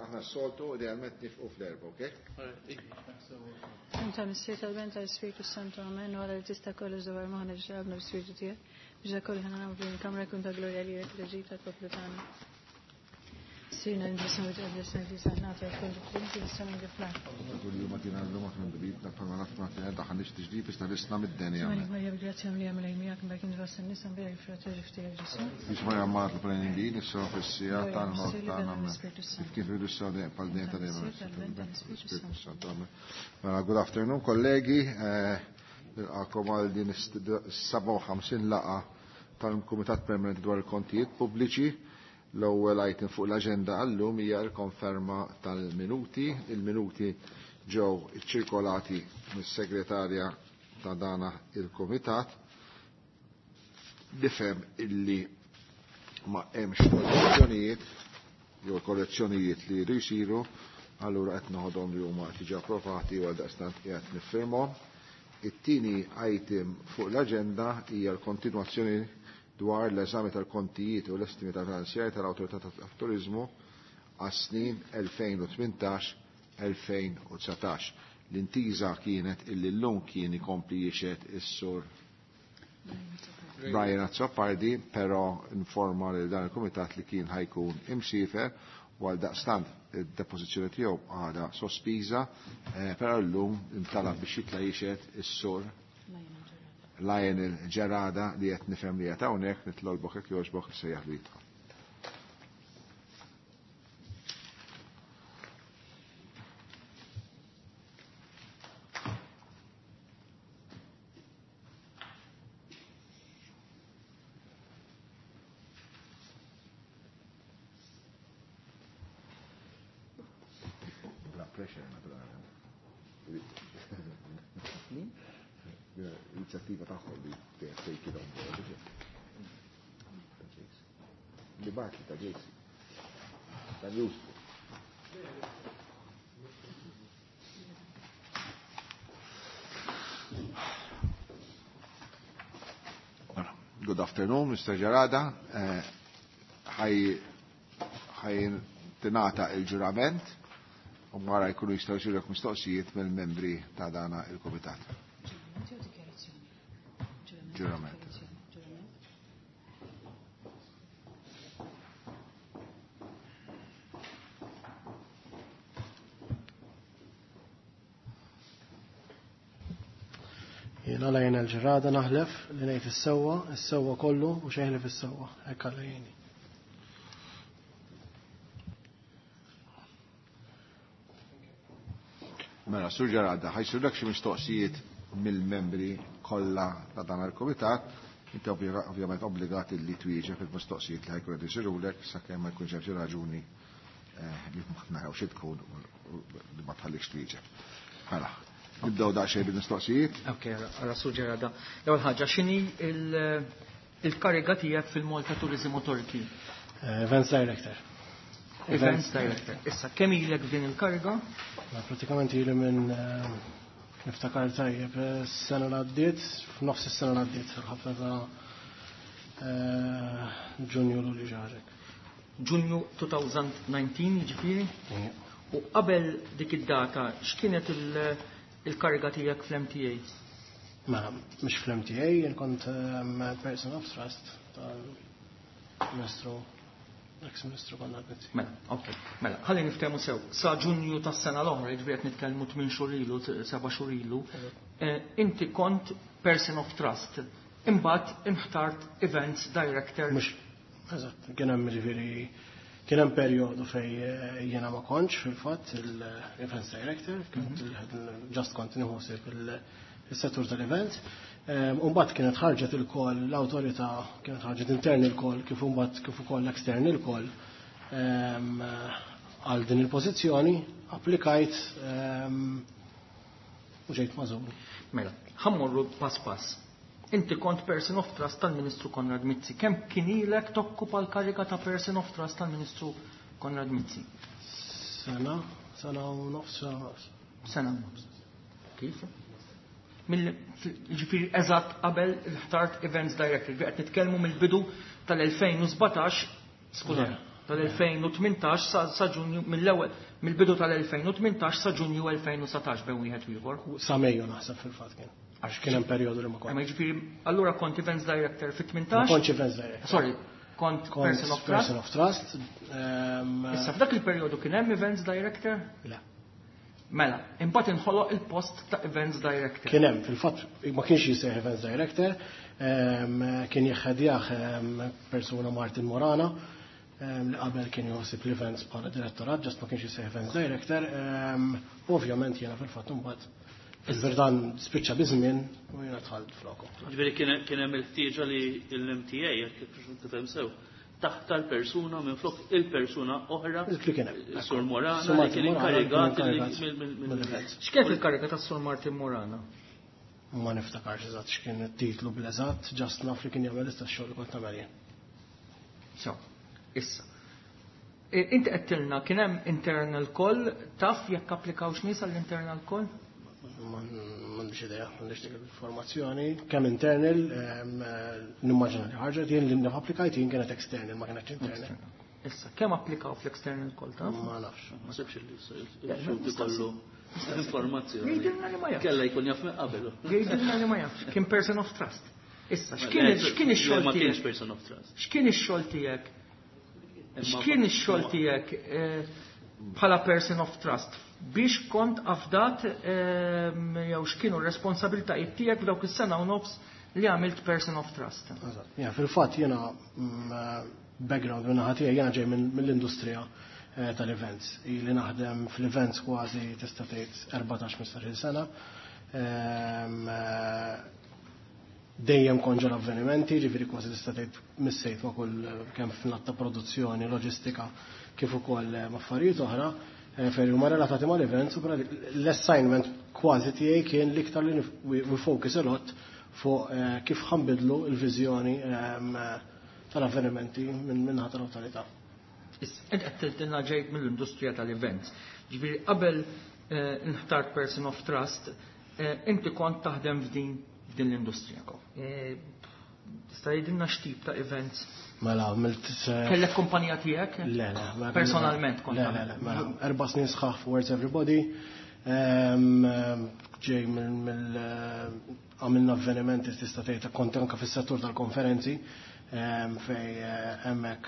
Aħna s-soltu idealment nifqu fl-erba, ok? Inta Missier tal-Ben tal-Ispirtu Santu, amen, u għala li tista' kollox dwar moħħna biex għabna bl-Ispirtu tiegħek, biex dak kollu ħana nagħmlu f'din il-kamra jkun ta' glorja lilek reġi tal-poplu tagħna. Sirna nġismu tqaddesna fi saħnata jkun ġiflin fis-sema kif l-art. Kull jum għatina l-lum aħna ndubitna bħalma naf ma daħanix tiġdid biex tarisna mid-deni. Għamek Marja bil-grazzja mlija mill miegħek mbagħad kien fost in-nisa mbierek il-frott tal-ġuf tiegħek Ġesù. Biex Marja Mart l-Prejnin din issa fis-sija tal-mewt tagħna. Kif kif irridu s pal dejjem ta' dejjem. Spiritu Santu. Amen. Mela, good afternoon kollegi, nilqakom għal din is-57 laqa tal-Kumitat Permanenti dwar il-Kontijiet Pubbliċi. L-ewwel item fuq l-aġenda għallum hija l-konferma tal-minuti. Il-minuti ġew iċċirkolati mis-segretarja ta' dana il-Kumitat. Nifhem illi ma hemmx korrezzjonijiet jew korrezzjonijiet li jridu jsiru, allura qed noħodhom li huma diġà approvati u għaldaqstant qiegħed niffirmhom. It-tieni item fuq l-aġenda hija l-kontinwazzjoni dwar l-eżami tal-kontijiet u l-estimi tal-finanzjari tal-Awtorità tat-Turiżmu għas-snin 2018-2019. L-intiża kienet illi llum kien ikompli jixhed is-sur Brian Azzopardi, però informa lil dan il-kumitat li kien ħajkun imsiefer u għal daqstant id-depożizzjoni tiegħu għadha sospiża, però llum intalab biex jitla' jixhed is-sur Lionel Ġerada li qed nifhem li qed hawnhekk, nitlolbok jekk jogħġbok sejjaħ li jidħol. Bla pressure, naturalment. Inizjattiva tagħhom li take it on board. Li bagħat li ta' Jason. Ta' Newsbook. Good afternoon, Mr. Gerada. Ħaj tingħata il-ġurament u wara jkunu jistgħu jsirulek mistoqsijiet mill-membri ta' dana il-kumitat. Ġurament. Jiena Lionel Ġerada naħlef li ngħid is-sewwa, is-sewwa kollu u xejn ħlief is-sewwa. Hekk Alla jgħinni. Mela, Sur Ġerada, ħajsirlek xi mistoqsijiet mill-membri kollha ta' dan il-kumitat. Inti ovvjament obbligat li twieġeb il-mistoqsijiet li ħajkun qed isirulek sakemm ma jkunx hemm xi raġuni li ma naraw xi tkun u li ma tħallikx twieġeb. Mela, nibdew daqsxejn bil-mistoqsijiet. Ok, ara Sur Ġerada. L-ewwel ħaġa, x'inhi il-kariga tiegħek fil-Malta Tourism Authority? Events Director. Events Director. Issa, kemm ilek f'din il-kariga? Ma, pratikament ili minn niftakar tajjeb, s-sena l-għaddiet, f'nofs is-sena l-għaddiet, fil-ħafna ta' Ġunju l ġarek. Ġunju 2019, jiġifieri? Ija. U qabel dik id-data, x'kienet il-kariga tiegħek fl-MTA? Mela, mhux fl-MTA, jien kont person of trust tal-Ministru, ex-Ministru Konrad Mizzi. Mela, ok. Mela, ħalli niftehmu sew. Sa Ġunju tas-sena l-oħra, jiġifieri qed nitkellmu 8 xhur ilu, 7 xhur ilu, inti kont person of trust. Imbagħad inħtart Events Director. Mhux, eżatt, kien hemm jiġifieri kien hemm perjodu fej jiena ma kontx fil-fatt il-Events Director, kont just kont nieħu ħsieb il-settur tal-event. Umbagħad kienet ħarġet il-kol l-awtorità, kienet ħarġet intern il-kol, kif umbagħad kif ukoll extern il-kol, għal din il-pożizzjoni, applikajt u ġejt magħżul. Mela, ħammorru pass pass. Inti kont person of trust tal-Ministru Konrad Mizzi. Kemm kien ilek tokkupa l-kariga ta' person of trust tal-Ministru Konrad Mizzi? Sena, sena u nofs, sena u nofs. Sena u nofs. Kif? Ġifieri eżatt qabel il-ħtart Events Director, ġifieri qed nitkellmu mill-bidu tal-2017, skużani. Tal-2018 sa Ġunju mill-ewwel mill-bidu tal-2018 sa Ġunju 2019 bejn wieħed u ieħor. Sa Mejju naħseb fil-fatt kien. Għax kien hemm perjodu li ma kontx. Jiġifieri allura kont events director fit-18? Ma kontx events director. Sorry, kont person of trust. Person of trust. Issa f'dak il-perjodu kien hemm events director? Le. Mela, imbagħad inħoloq il-post ta' events director. Kien hemm, fil-fatt ma kienx jisejħ events director, kien jieħedjah persuna Martin Morana, li qabel kien joħsib l-events bħala direttorat, just ma kienx jisejħ events director. Ovvjament jiena fil-fatt imbagħad fil-verdan spiċċa biż-żmien u jiena dħalt floku. Ġifieri kien hemm il-ħtieġa li l-MTA, jekk tifhem sew, taħtar persuna minn flok il-persuna oħra. Li kien hemm. Sur Morana, Sur Martin li kien Morana, inkarigat kien inkarigat mill-events. X'kienet il-kariga ta' Sur Martin Morana? Ma niftakarx eżatt x'kien it-titlu bl-eżatt, just naf li kien jagħmel l-istess xogħol li kont nagħmel jien. So, issa. Inti qed tilna kien hemm internal call, taf jekk applikawx nies għall-internal call? M'għandix idea, m'għandix dik l-informazzjoni. Kemm internal, nimmaġina li ħarġet, jien li naf applikajt jien kienet external, ma kienx internal. External. Issa, kemm applikaw fl-external call taf? Ma nafx. Ma sebx il-xhud ikollu informazzjoni. Jgħidilna li ma jafx. Kella jkun jaf minn qabel. Jgħidilna li ma jafx. Kien person of trust. Issa, Ma le, x'kien ix-xogħol ma kienx tiegħek? person of trust. X'kien ix-xogħol tiegħek? Imma X'kien ix-xogħol tiegħek bħala person of trust? Biex kont afdat jew x'kienu r-responsabilitajiet tiegħek f'dawk is-sena u nofs li għamilt person of trust? Eżatt. Ja, fil-fatt jiena, background minn naħa tiegħi jiena ġej mill-industrija tal-events. Ili naħdem fl-events kważi tista' tgħid 14-15 sena. Dejjem kont ġol avvenimenti, ġifieri kważi tista' tgħid missejt ma' kull kemm f'nat ta' produzzjoni, loġistika, kif ukoll affarijiet oħra. Fejn huma relatati mal-events, u l-assignment kważi tiegħi kien l-iktar li we focus a lot fuq kif ħanbidlu l-viżjoni tal-avvenimenti minn naħa tal-awtorità. Issa, int qed tiltilna ġejt mill-industrija tal-events. Ġifieri qabel nħtart person of trust, inti kont taħdem f'din l-industrija. Tista' jgħidilna x'tip ta' events? Mela, għamilt Kellek kumpanija tiegħek? Le, le, mela, Personalment kont Le, tagħmel? le, le, mela, 4 snin sħaħ fuq Words Everybody. Ġej mill għamilna avvenimenti tista' tgħid kont anke fis-settur tal-konferenzi, fej hemmhekk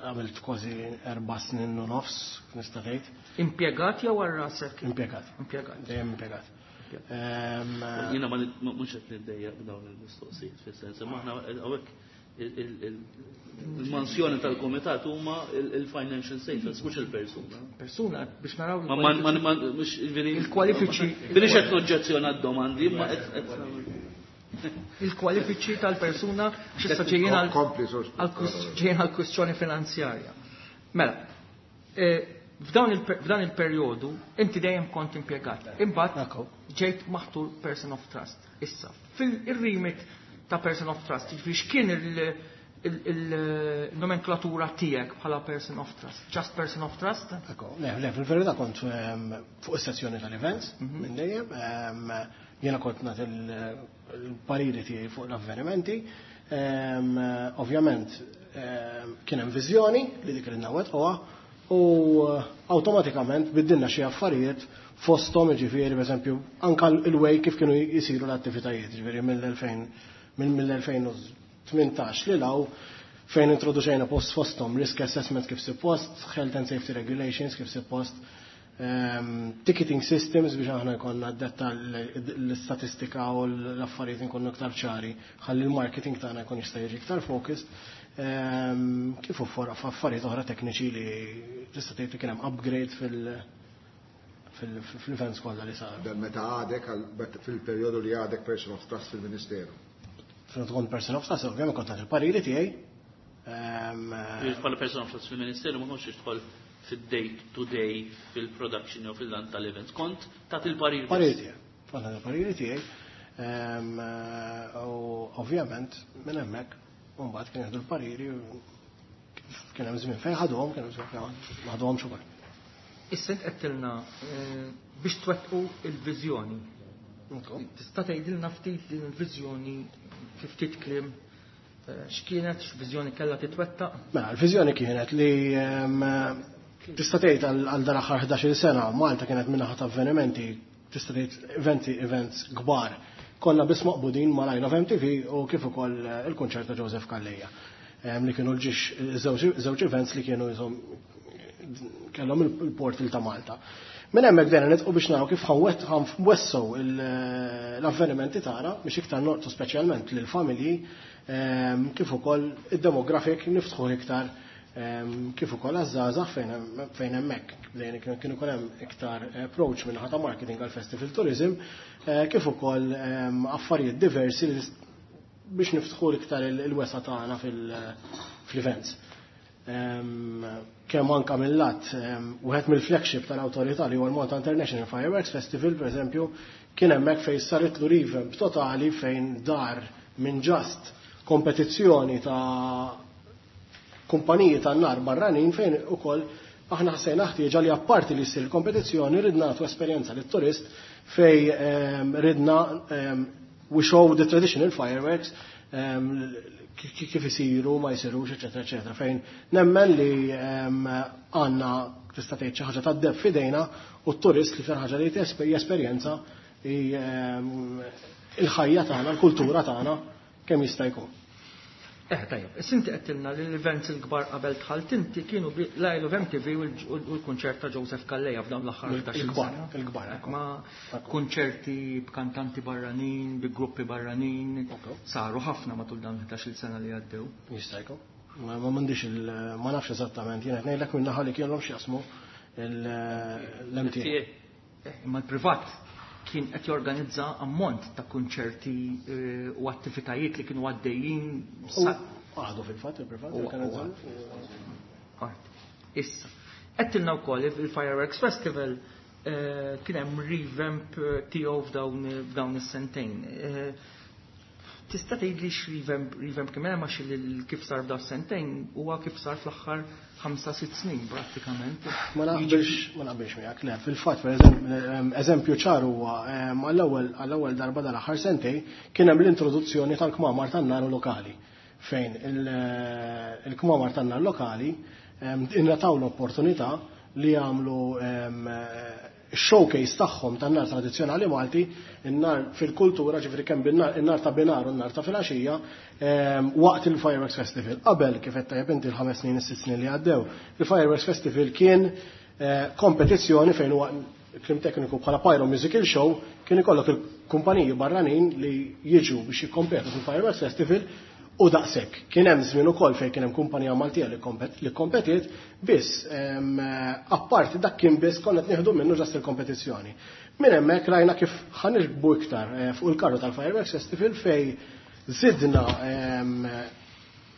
għamilt kważi 4 snin u nofs, nista' tgħid. Impjegat jew għal rasek? Impjegat. Impjegat. Dejjem impjegat. Jiena ma mhux qed niddejjaq b'dawn il-mistoqsijiet fis-sens, imma aħna hawnhekk il-mansjoni tal-komitat huma il-financial statements, mhux il-persuna. Persuna biex naraw Ma, ma, ma, ma, mhux, veri- Il-kwalifiċi- Veri x'qed noġġezzjona d-domandi, ma qed- qed Il-kwalifiċi tal-persuna x'issa ġejjin Kompli, sorry. ġejjin għal-kwistjoni finanzjarja. Mela, f'dan il-perjodu inti dejjem kont impjegat. Imbagħad ġejt maħtur person of trust. Issa, fil-remit ta' person of trust, jiġifieri x'kien il-nomenklatura tiegħek bħala person of trust? Just person of trust? Ekku, le, le, fil-verità kont fuq is-sezzjoni tal-events minn dejjem, jiena kont nagħti il-pariri tiegħi fuq l-avvenimenti. Ovvjament kien hemm viżjoni li dik li nwettquha u awtomatikament biddilna xi affarijiet fosthom, jiġifieri pereżempju anke il-way kif kienu jisiru l-attivitajiet, jiġifieri mill-elfejn u tmintax li law fejn introduċejna post fosthom risk assessment kif suppost, health and safety regulations kif suppost, ticketing systems biex aħna jkollna detta l-istatistika u l-affarijiet nkunu iktar ċari, ħalli l-marketing tagħna jkun jista' jiġi iktar focused, kif affarijiet oħra tekniċi li tista' tgħid li kien hemm upgrade fil-events kollha li saru. Dan meta għadek fil-perjodu li għadek person of trust fil-Ministeru. Fil tkun person of trust, ovvjament kont nagħti il-pariri tiegħi. Bħala person of trust fil-Ministeru ma kontx tidħol fid-day to day fil-production jew fil-land tal-events. Kont tagħti il-pariri. Pariri tiegħi. Kont nagħti il-pariri tiegħi. U ovvjament minn hemmhekk mbagħad kien jieħdu l-pariri u kien hemm żmien fejn ħadhom, kien hemm żmien fejn ma ħadhomx ukoll. Issa int qed tilna biex twettqu il-viżjoni. Tista' tgħidilna ftit din il-viżjoni fi ftit kliem? X'kienet, x'viżjoni kellha titwettaq? Mela, l-viżjoni kienet li tista' tgħid għal dal-aħħar 11-il sena Malta kienet min-naħa ta' avvenimenti, tista' tgħid events kbar. Konna biss maqbudin mal-I Love MTV u kif ukoll il-kunċert ta' Joseph Calleja. Li kienu l-ġiex żewġ events li kienu jisom kellhom il-portal ta' Malta. Minn hemmhekk bdejna nitqu biex naraw kif ħanwessew l-avvenimenti tagħna biex iktar norqtu speċjalment lill-familji, kif ukoll id-demographic niftħu iktar, kif ukoll għaż-żgħażagħ fejn hemmhekk bdejna kien ukoll hemm iktar approach minn ta' marketing għal festival tourism, kif ukoll affarijiet diversi biex niftħu iktar il-wesa tagħna fil-events. Kemm anka mill-lat, wieħed mill-flagship tal-awtorità li huwa l-Malta International Fireworks Festival, per eżempju, kien hemmhekk fejn saritlu revamp totali fejn dar minn just kompetizzjoni ta' kumpaniji tan-nar barranin fejn ukoll aħna ħsejna ħtieġa li apparti li ssir il-kompetizzjoni ridna nagħtu esperjenza lit-turist fej ridna we show the traditional fireworks kif isiru, ma jsirux, eċetera, eċetera. Fejn nemmen li għandna tista' tgħid xi ħaġa tad-deb f'idejna u t-turist li fl ħaġa li jesperjenza il-ħajja tagħna, l-kultura tagħna kemm jista' jkun. Tajjeb, issa inti qedtilna li l-events il-kbar qabel dħalt inti kienu l-I Love MTV u l-kunċert ta' Joseph Calleja f'dawn l-aħħar ħdax-il sena. Il-kbar, ekku. Ma kunċerti b'kantanti barranin, bi gruppi barranin, saru ħafna matul dawn 11-il sena li għaddew. Jista' jkun. Ma m'għandix il-, ma nafx eżattament, jien qed ngħidlek minn naħa li kienhom x'jaqsmu l-MTA. Imma l-privat kien qed jorganizza ammont ta' kunċerti u attivitajiet li kienu għaddejjin U għadu fil-fatt il-privat jorganizza. Għad. Issa, qed wkoll il-Fireworks Festival kien hemm revamp tiegħu f'dawn is-sentejn. Tista' tgħidli x'revamp kien hemm għax kif sar f'dawn is-sentejn huwa kif sar fl-aħħar 5-6 snin prattikament. Ma naqbilx miegħek, le, fil-fatt per eżempju ċar huwa għall-ewwel darba dal-aħħar sentejn kien hemm l-introduzzjoni tal-kmamar tan-nar lokali fejn il-kmamar tan-nar lokali ingħataw l-opportunità li jagħmlu showcase tagħhom tan-nar tradizzjonali Malti, in-nar fil-kultura, ġifieri kemm bin-nar, in-nar ta' binar u n-nar ta' filgħaxija, waqt il-Fireworks Festival. Qabel kif qed tajjeb inti l-5 snin, is-6 snin li għaddew, il-Fireworks Festival kien kompetizzjoni fejn huwa klim tekniku bħala Pyro Musical Show, kien ikollok il-kumpaniji barranin li jiġu biex jikkompetu fil-Fireworks Festival u daqshekk. Kien hemm żmien ukoll fejn kien hemm kumpanija Maltija li kompetiet, biss apparti dak kien biss konna qed nieħdu minnu ġast il-kompetizzjoni. Minn hemmhekk rajna kif ħanirkbu iktar fuq il-karru tal-Fireworks Festival fej zidna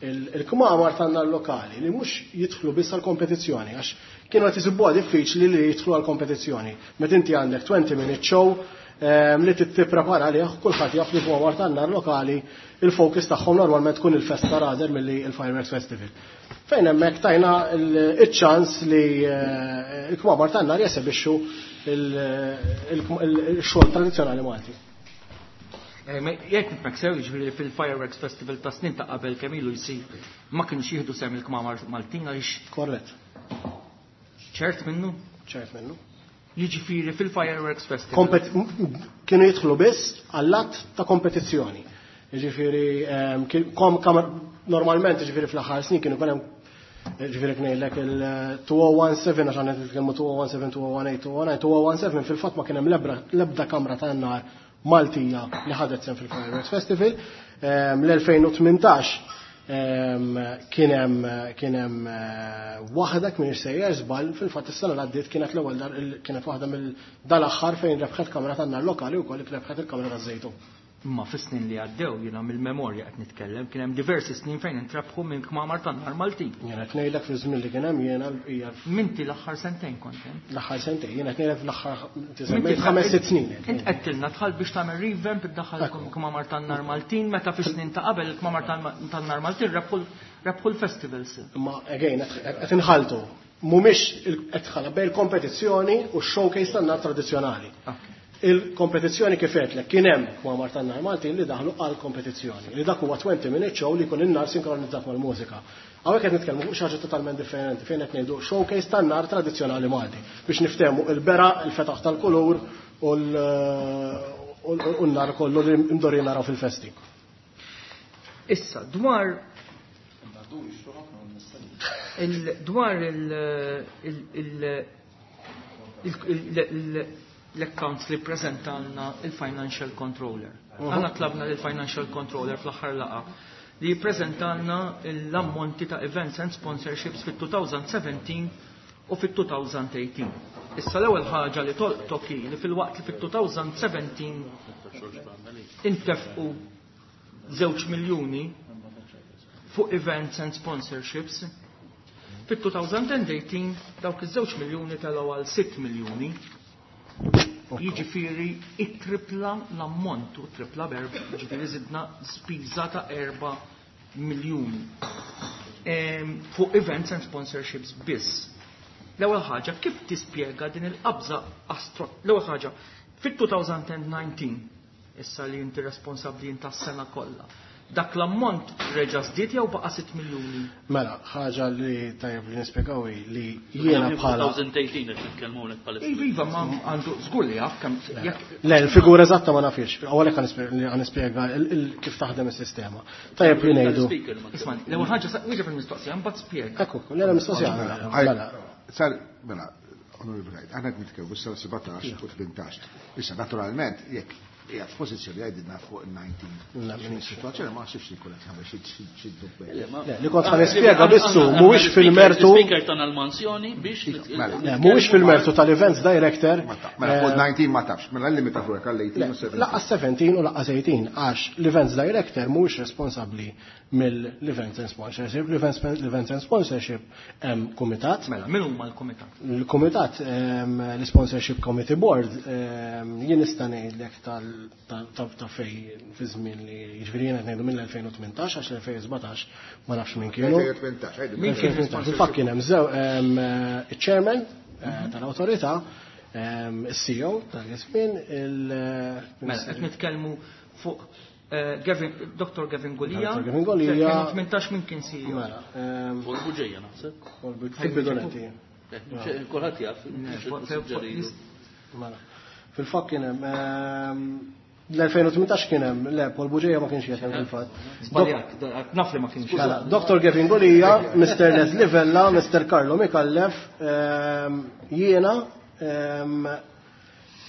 il-kmamar tan-nar lokali li mhux jidħlu biss għall-kompetizzjoni, għax kienu qed isibuha diffiċli li jidħlu għall-kompetizzjoni. Meta inti għandek 20 minute show li tipprepara għalih, kulħadd jaf li kmamar tan-nar lokali il-focus tagħhom normalment tkun il-festa rather milli il-Fireworks Festival. Fejn hemmhekk tajna iċ-ċans li il-kmamar tan-nar jesebixxu il-xogħol tradizzjonali Malti. Ma jekk nifhmek sew, jiġifieri fil-Fireworks Festival ta' snin ta' qabel kemm ilu jsir ma kienux jieħdu sehem il-kmamar Maltin għaliex Korrett. Ċert minnu? Ċert minnu. Jiġifieri fil-Fireworks Festival. Kienu jidħlu biss għall-att ta' kompetizzjoni. Jiġifieri normalment jiġifieri fl-aħħar snin kienu jkun hemm, jiġifieri ngħidlek il-2017, għax għandna nitkellmu 2017, 2018, 2019, 2017 fil-fatt ma kien hemm l-ebda kamra tan-nar Maltija li ħadet sehem fil-Fireworks Festival. L-2018 kien hemm waħda kien sejjer żball, fil-fatt is-sena li għaddiet kienet l-ewwel dar, kienet waħda mill dal-aħħar fejn rebħet kamra tan-nar lokali wkoll rebħet il-kamra taż-Żejtun. Imma fis-snin li għaddew jiena mill-memorja qed nitkellem, kien hemm diversi snin fejn intrebħu minn kmamar tan-nar Maltin. Jiena qed ngħidlek fi żmien li kien hemm jiena l-bqija. Minti l-aħħar sentejn kont hemm. L-aħħar sentejn, jiena qed ngħidlek fl-aħħar Minti tiżemmejt ħames, sitt snin. Int qed tilna dħal biex tagħmel revamp iddaħħal kmamar tan-nar Maltin, meta fis-snin ta' qabel il-kmamar tan-nar Maltin rebħu l-festivals. Imma again qed inħaltu. Mhumiex qed tħalla bejn il-kompetizzjoni u x-showcase tan-nar tradizzjonali. Il-kompetizzjoni kif għedtlek kien hemm kmamar tan-nar Maltin li daħlu għal kompetizzjoni. Li dak huwa 20 minute show li jkun in-nar sinkronizzat mal-mużika. Hawnhekk qed nitkellmu fuq xi ħaġa totalment differenti fejn qed ngħidu showcase tan-nar tradizzjonali Malti biex niftehmu il-bera, il-fetaħ tal-kulur u l-nar kollu li mdorri naraw fil-festi. Issa, dwar dwar l-accounts li prezentanna il-Financial Controller. Aħna tlabna l-Financial Controller fl-aħħar laqgħa li jippreżentalna l-ammonti ta' events and sponsorships fit-2017 u fit-2018. Issa l-ewwel ħaġa li tolqtok hi li filwaqt li fit-2017 intefqu 2 miljuni fuq events and sponsorships, fit-2018 dawk iż-2 miljuni telgħu għal 6 miljuni. Jiġifieri it-tripla l-ammont u tripla berb, jiġifieri żidna spiża ta' 4 miljuni fuq events and sponsorships biss. L-ewwel ħaġa, kif tispjega din il-qabża astro? L-ewwel ħaġa, fit-2019, issa li inti responsabbli inta s-sena kollha, dak l-ammont reġa' żdied jew baqa' 6 miljuni? Mela, ħaġa li tajjeb li nispjegaw hi li jiena bħala 2018 qed nitkellmu hawnhekk bħalissa. Iva, iva, ma għandu żgur li jaf kemm jekk Le, il-figura eżatta ma nafx. Għalhekk ħa nispjega kif taħdem is-sistema. Tajjeb li ngħidu. Speaker ma Isma' l-ewwel ħaġa wieġeb il-mistoqsija, mbagħad spjega. Ekku, le mistoqsija. Mela, Sar, mela, Onorevoli Gajt, aħna qed nitkellmu issa 17 u 18. Issa, naturalment, jekk qiegħed f'pożizzjoni jgħidilna fuq il-19. Le, X'inhi s-sitwazzjoni ma naħsibx li jkun qed jagħmel xi dubbi. Le, li kont ħa nispjega bissu mhuwiex fil-mertu Speaker tana l-manzjoni biex Mela. Le, mhuwiex fil-mertu tal-events director. Mela fuq 19 ma tafx, mela l-limita fuq għal 18 u 17. Lanqas 17 u lanqas 18 għax l-events director mhuwiex responsabbli mill-events and sponsorship. L-events and sponsorship hemm kumitat. Mela, min huma l-kumitat? Il-kumitat, l-sponsorship committee board, jien nista' ngħidlek ta' fej fi żmien li jiġifieri jiena qed ngħidu mill-2018 għax l-2017 ma nafx min kienu. 2018, għidu. Min kien 2018. Fil-fatt kien hemm zew il-chairman tal-awtorità, il-CEO tal-żmien, il- Mela, qed nitkellmu fuq Gavin, Dr. Gavin Gulia. Dr. Gavin Gulia. 2018 min kien CEO? Mela, Paul Bugeja naħseb. fil-bidu nett. Kulħadd jaf. Mela. Fil-fatt kien hemm l-2018 kien hemm, le, Paul Bugeja ma kienx jgħid fil-fatt. Żbaljat, naf li ma kienx. Mela, Dr. Gavin Gulia, Mr. Leslie Vella, Mr. Carlo Micallef, jiena,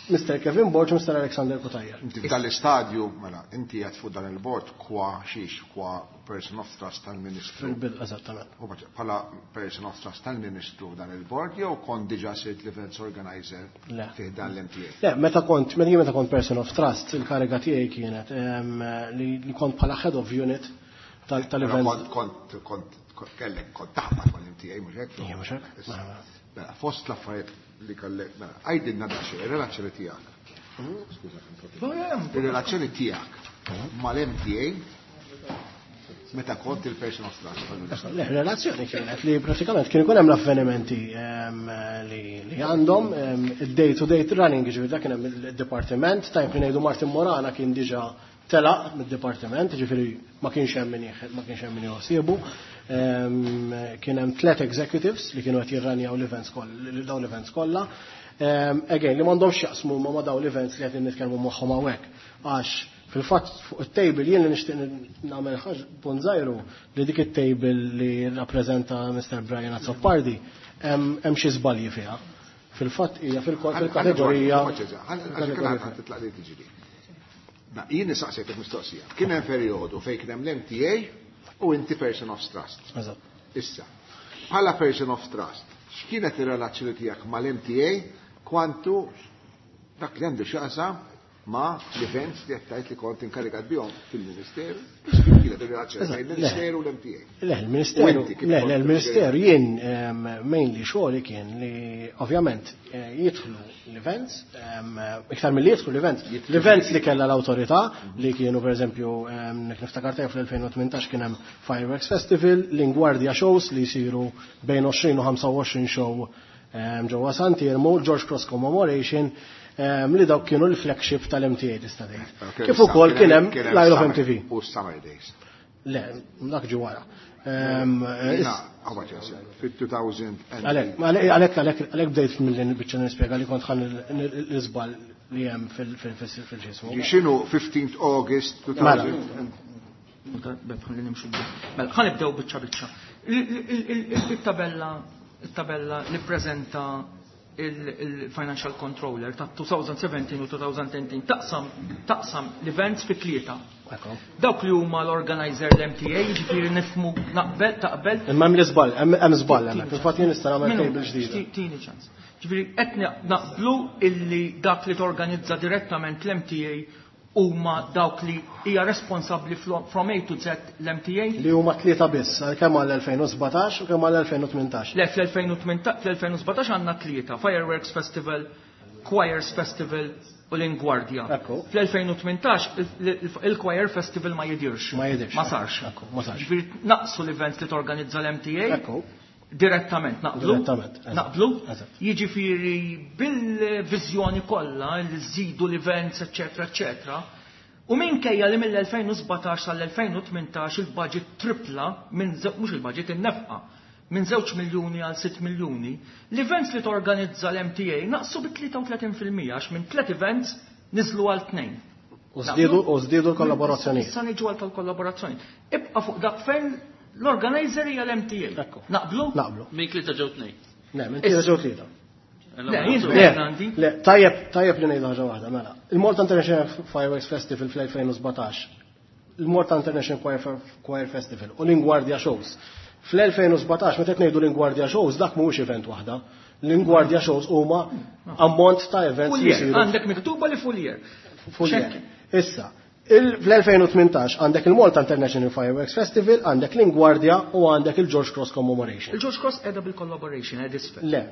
Mr. Kevin Borg, Mr. Alexander Cutajar. Inti f'dan l-istadju, mela, inti qed fuq dan il-bord kwa xiex, kwa person of trust tal-Ministru. Fil-bidu, eżattament. U bħala person of trust tal-Ministru dan il-bord, jew kont diġà sirt l-events organizer Le. fih dan l-MTA? Le, meta kont person of trust, il-kariga tiegħi kienet li kont bħala head of unit tal-events. Kont kellek kont taħbat mal-MTA, mhux hekk? Ija, mhux hekk. Issa, Mela. Mela, fost l-affarijiet li kellek, mela, għajdilna daqsxejn, ir-relazzjoni tiegħek. Skuża, ir-relazzjoni tiegħek mal-MTA meta kont il-person of trust tal-Ministru. Le, relazzjoni kienet li pratikament kien ikun hemm l-avvenimenti li għandhom il-day to day running, ġifieri dak kien hemm il-dipartiment, tajb li ngħidu Martin Morana kien diġà telaq mid-dipartiment, ġifieri ma kienx hemm min jħossiebu. Kien hemm tliet executives li kienu qed jirranjaw l-events dawn l-events kollha. Again, li m'għandhomx jaqsmu ma' dawn l-events li qed nitkellmu magħhom hawnhekk. Għax fil-fatt fuq it-table jien li nixtieq nagħmel ħaġa punt żgħir li dik it-table li rappreżenta Mr. Brian Azzopardi hemm xi żbalji fiha. Fil-fatt hija fil-kategorija. Titlaq li tiġri. Na, jien nisaqsejtek mistoqsija. Kien hemm perjodu fejn kien hemm l-MTA u inti person of trust. Eżatt. Issa, bħala person of trust, x'kienet ir-relazzjoni tiegħek mal-MTA kwantu dak li għandu x'jaqsam ma' l-events li qed tgħid li kont inkarigat bihom fil-Ministeru? Kif kienet ir-relazzjoni bejn il-Ministeru u l-MTA? Le, il-Ministeru, U inti kif le, kont le, il-Ministeru jien mainly xogħli kien li ovvjament jidħlu l-events, iktar mill-li jidħlu l-events, l-events li kellha l-awtorità li kienu per eżempju, niftakar tajjeb fl-2018 kien hemm Fireworks Festival, Lingwardia Shows li jsiru bejn 20 u 25 show ġewwa Sant'Iermu, George Cross Commemoration. Li dawk kienu l-flagship tal-MTA tista' tgħid. Kif ukoll kien hemm l-Isle of MTV. U Summer Days. Le, dak ġi wara. Fit-2000. Għalhekk bdejt mill biċċa nispjega li kont ħan l-iżball li hemm fil-ġismu. X'inhu 15th August 2000. Mela, ħa nibdew biċċa biċċa. Il-tabella li preżenta il-Financial Controller ta' 2017 u 2018 taqsam l-events fi tlieta. Dawk li huma l-organizer l-MTA, jiġifieri nifhmu naqbel taqbel. Imma hemm l-iżball, hemm żball hemmhekk. Fil-fatt jien nista' nagħmel table ġdida. Tini ċans. Ġifieri qed naqblu illi dak li torganizza direttament l-MTA huma dawk li hija responsabbli from A to Z l-MTA? Li huma tlieta biss, kemm għall-2017 u kemm għall-2018. Le, fl-2017 għandna tlieta, Fireworks Festival, Choirs Festival u l-Ingwardja. Fl-2018 il-Choir Festival ma jidirx. Ma jidirx. Ma sarx. Ekku, ma sarx. Ġifieri naqsu l-events li torganizza l-MTA. Ekku. Direttament, naqblu? Direttament. Naqblu? Jiġifieri bil-viżjoni kollha li żidu l-events, eċetera, eċetera. U minkejja li mill-2017 sal-2018 il-budget tripla, mhux il-budget, in-nefqa, minn 2 miljuni għal 6 miljuni, l-events li torganizza l-MTA naqsu bi 33% għax minn 3 events niżlu għal 2. U żdiedu l-kollaborazzjoni. Issa niġu għal tal-kollaborazzjoni. Ibqa' fuq dak fejn l-organizer hija l-MTA. Naqblu? Naqblu. Minn tlieta ġew 2. Le, minn tlieta ġew 3. Le, jien għandi. Le, tajjeb li ngħidu ħaġa waħda, mela. Il-Malta International Fireworks Festival fl-2017, il-Malta International Choir Festival u l-Ingwardja Shows. Fl-2017, meta qed ngħidu l-Ingwardja Shows, dak mhuwiex event waħda. L-Ingwardja Shows huma ammont ta' events li jsiru. Għandek miktuba li full year. Full year. Issa, fl-2018 għandek il-Malta International Fireworks Festival, għandek l-Ingwardja u għandek il-George Cross Commemoration. Il-George Cross edha bil-collaboration, edha isfel. Le,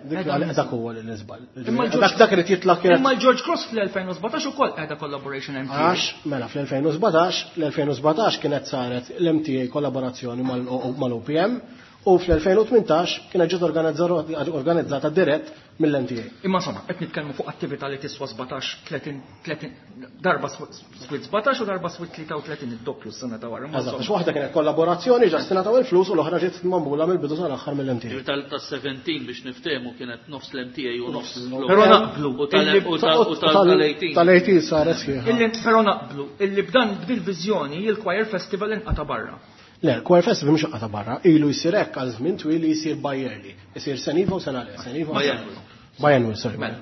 dak huwa l-iżball. Imma Dak irid jitlaq kienet Imma l-George Cross fl-2017 ukoll edha collaboration MTA. Għax, mela, fl-2017 kienet saret l-MTA kollaborazzjoni mal-OPM u fl-2018 kienet ġiet organizzata dirett mill-MTA. Imma insomma, qed nitkellmu fuq attività li tiswa 17, 30, 30, darba swit 17 u darba swit 33 id-doppju s-sena ta' wara. Eżatt, għax waħda kienet kollaborazzjoni ġa s-sena ta' il-flus u l-oħra ġiet magħmula mill-bidu sal-aħħar mill-MTA. Ġifieri tal-17 biex niftehmu kienet nofs l-MTA u nofs l-OPM. Però naqblu U tal-18. Tal-18 saret sħiħa. Illi però naqblu illi b'dan b'dil-viżjoni il-Choir Festival inqata' barra. Le, il-Choir Festival mhux inqata' barra, ilu jsir hekk għal żmien twil li jsir bi-yearly. Isir sena iva u sena le, sena iva u sena le. Biannual, sorry. Mela.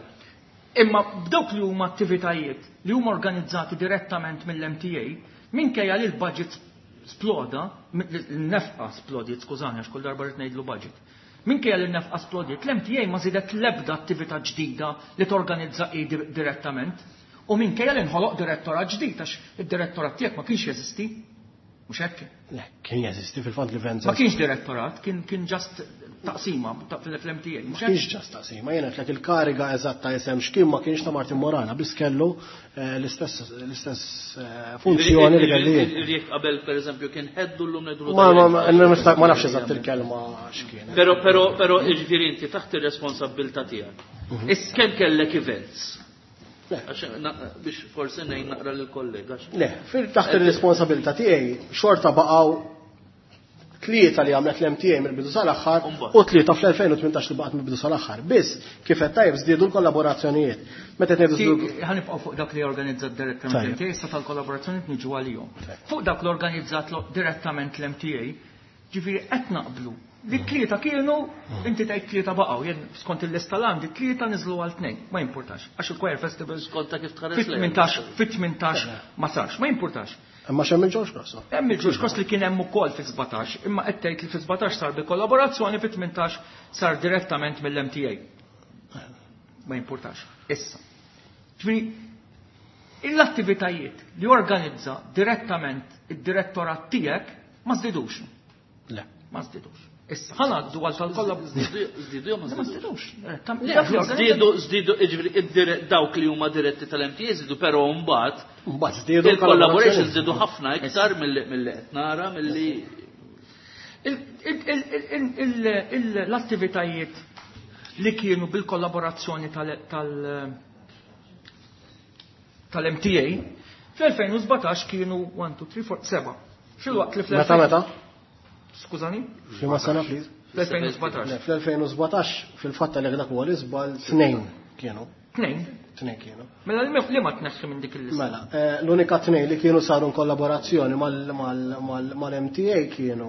Imma b'dawk li huma attivitajiet li huma organizzati direttament mill-MTA, minkejja li l-budget sploda, l-nefqa splodiet, skużani għax kull darba rrid ngħidlu budget. Minkejja li l-nefqa splodiet, l-MTA ma żiedet l-ebda attività ġdida li torganizza hi direttament. U minkejja li nħoloq direttorat ġdid għax id-direttorat tiegħek ma kienx jeżisti. Mhux hekk? Le, kien jeżisti fil-fatt li Venza. Ma kienx direttorat, kien just taqsima fl-MTA. Ma kienx just taqsima, jiena qed il-kariga eżatta isem x'kien ma kienx ta' Martin Morana, biss kellu l-istess funzjoni li kelli jien. Jekk qabel pereżempju kien ħeddu llum ngħidu Ma nafx eżatt il-kelma x'kien. Però jiġifieri inti taħt ir-responsabbiltà tiegħek. Issa kemm kellek events? Le. Għax biex forsi ngħin naqra lill-kollega. Le, taħt ir-responsabilità tiegħi xorta baqgħu tlieta li għamlet l-MTA mill-bidu sal-aħħar u tlieta fl-2018 li baqgħet mill-bidu sal-aħħar. Biss kif qed tajjeb żdiedu l-kollaborazzjonijiet. Meta qed ngħidu żdiedu Ħa nibqgħu fuq dak li organizzat direttament l-MTA, issa tal-kollaborazzjonijiet niġu għalihom. Fuq dak li organizzat direttament l-MTA, ġifieri qed naqblu li tlieta kienu, inti tgħid tlieta baqgħu, jien skont il-lista l-għandi tlieta niżlu għal tnejn, ma jimpurtax, għax il-Choir Festival skont ta' kif tħares lejn. Fit-18 ma sarx, ma jimpurtax. Imma x'hemm il-George Cross? Hemm il-George Cross li kien hemm ukoll fi 17, imma qed tgħid li fi 17 sar bi kollaborazzjoni, fi 18 sar direttament mill-MTA. Ma jimpurtax. Issa. Ġifieri l-attivitajiet li organizza direttament id-direttorat tiegħek ma żdidux. Le. Ma żdidux. Issa, ħa ngħaddu għal tal-kollha. Żdiedu jew ma Ma żdidux? żdidux. Le, żdiedu, jiġifieri, dawk li huma diretti tal-MTA żdiedu, però mbagħad Mbagħad żdiedu il-collaboration żdiedu ħafna iktar milli qed nara milli L-attivitajiet li kienu bil-kollaborazzjoni tal-MTA fl-2017 kienu 1, 2, 3, 4, 7. Filwaqt li fl Meta meta? Skużani? F'liema sena please? Fl-2017. Le, fl-2017 fil-fatt għalhekk dak huwa l-iżball tnejn kienu. Tnejn. Tnejn kienu. Mela li ma tneħħi minn dik il-lista. Mela, l-unika tnejn li kienu saru kollaborazzjoni mal-MTA kienu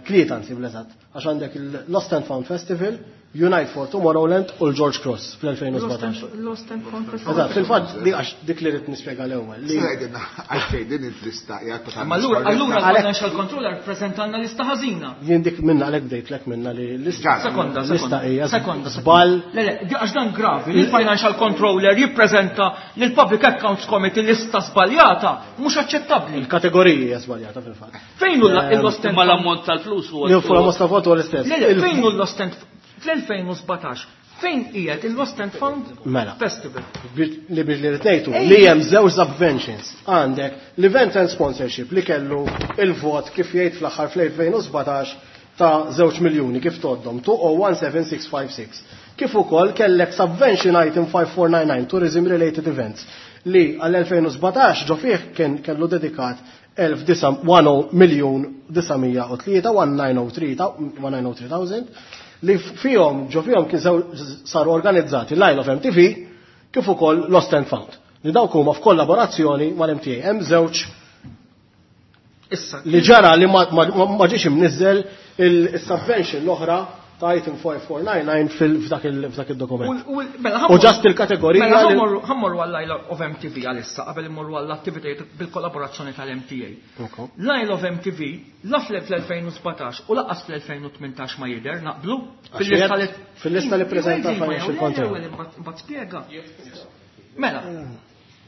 tlieta anzi bl-eżatt, għax għandek il-Lost and Found Festival, Unite for Tomorrowland u l-George Cross fl-2017. Lost and Found Festival. Eżatt, fil-fatt di għax dik li rrid nispjega l-ewwel. li- Għajdinna, għalfejn din il-lista hija totalment Ma allura allura skorretta. l-financial controller prezentanna lista ħażina. Jien dik minna għalhekk bdejtlek minna li l-lista Sekonda, l-lista sekonda. hija Sekonda. żball Le, le, għax dan gravi, li l-financial controller jippreżenta lil Public Accounts Committee lista żbaljata, mhux aċċettabbli. il-kategoriji hija żbaljata fil-fatt. Fejn hu l-Lost and Imma Found? l-ammont tal-flus huwa. Li fuq la foto l-istess. Le, le, fejn hu l-Lost and fl-2017 fejn qiegħed il-Lost and Found Mela. Festival? Li biex li rritnejtu li hemm żewġ subventions. Għandek l-event and sponsorship li kellu il-vot kif jgħid fl-aħħar fl-2017 ta' 2 miljuni kif toddhom 2017656. Kif ukoll kellek subvention item 5499 tourism related events li għall-2017 ġo fih kien kellu dedikat 1 miljun 903 1903,000 li fihom ġo fihom kien saru organizzati l-Isle of MTV kif ukoll Lost and Found. Li dawk huma f'kollaborazzjoni mal-MTA. Hemm żewġ Issa, li ġara li ma ġiex imniżżel il-subvention l-oħra ta' item 5499 f'dak il-dokument. Mela, U ġast il-kategorija Mela, ħammorru għall-Isle of MTV għalissa, qabel immorru għall-attivitajiet bil-kollaborazzjoni tal-MTA. L-Isle of MTV, la fl-2017 u lanqas fl-2018 ma jidher, naqblu? Għax jgħid fil-lista li preżenta Financial Control. Mbagħad spjega. Mela,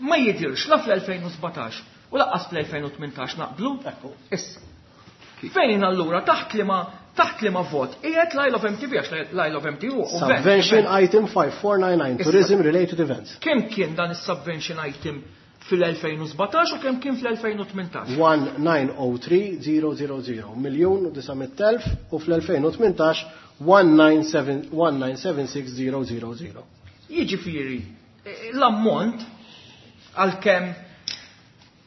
ma jidirx la fl-2017 u lanqas fl-2018 naqblu? Ekku. Issa. Fejn allura taħt li ma taħt li ma vot qiegħed l-Isle of MTV għax l-Isle of MTV u Subvention item 5499, Issa. tourism related events. Kemm kien dan is-subvention item fil-2017 u kemm kien fl-2018? 1903000 miljun u 900,000 u fl-2018 1976000. Jiġifieri l-ammont għalkemm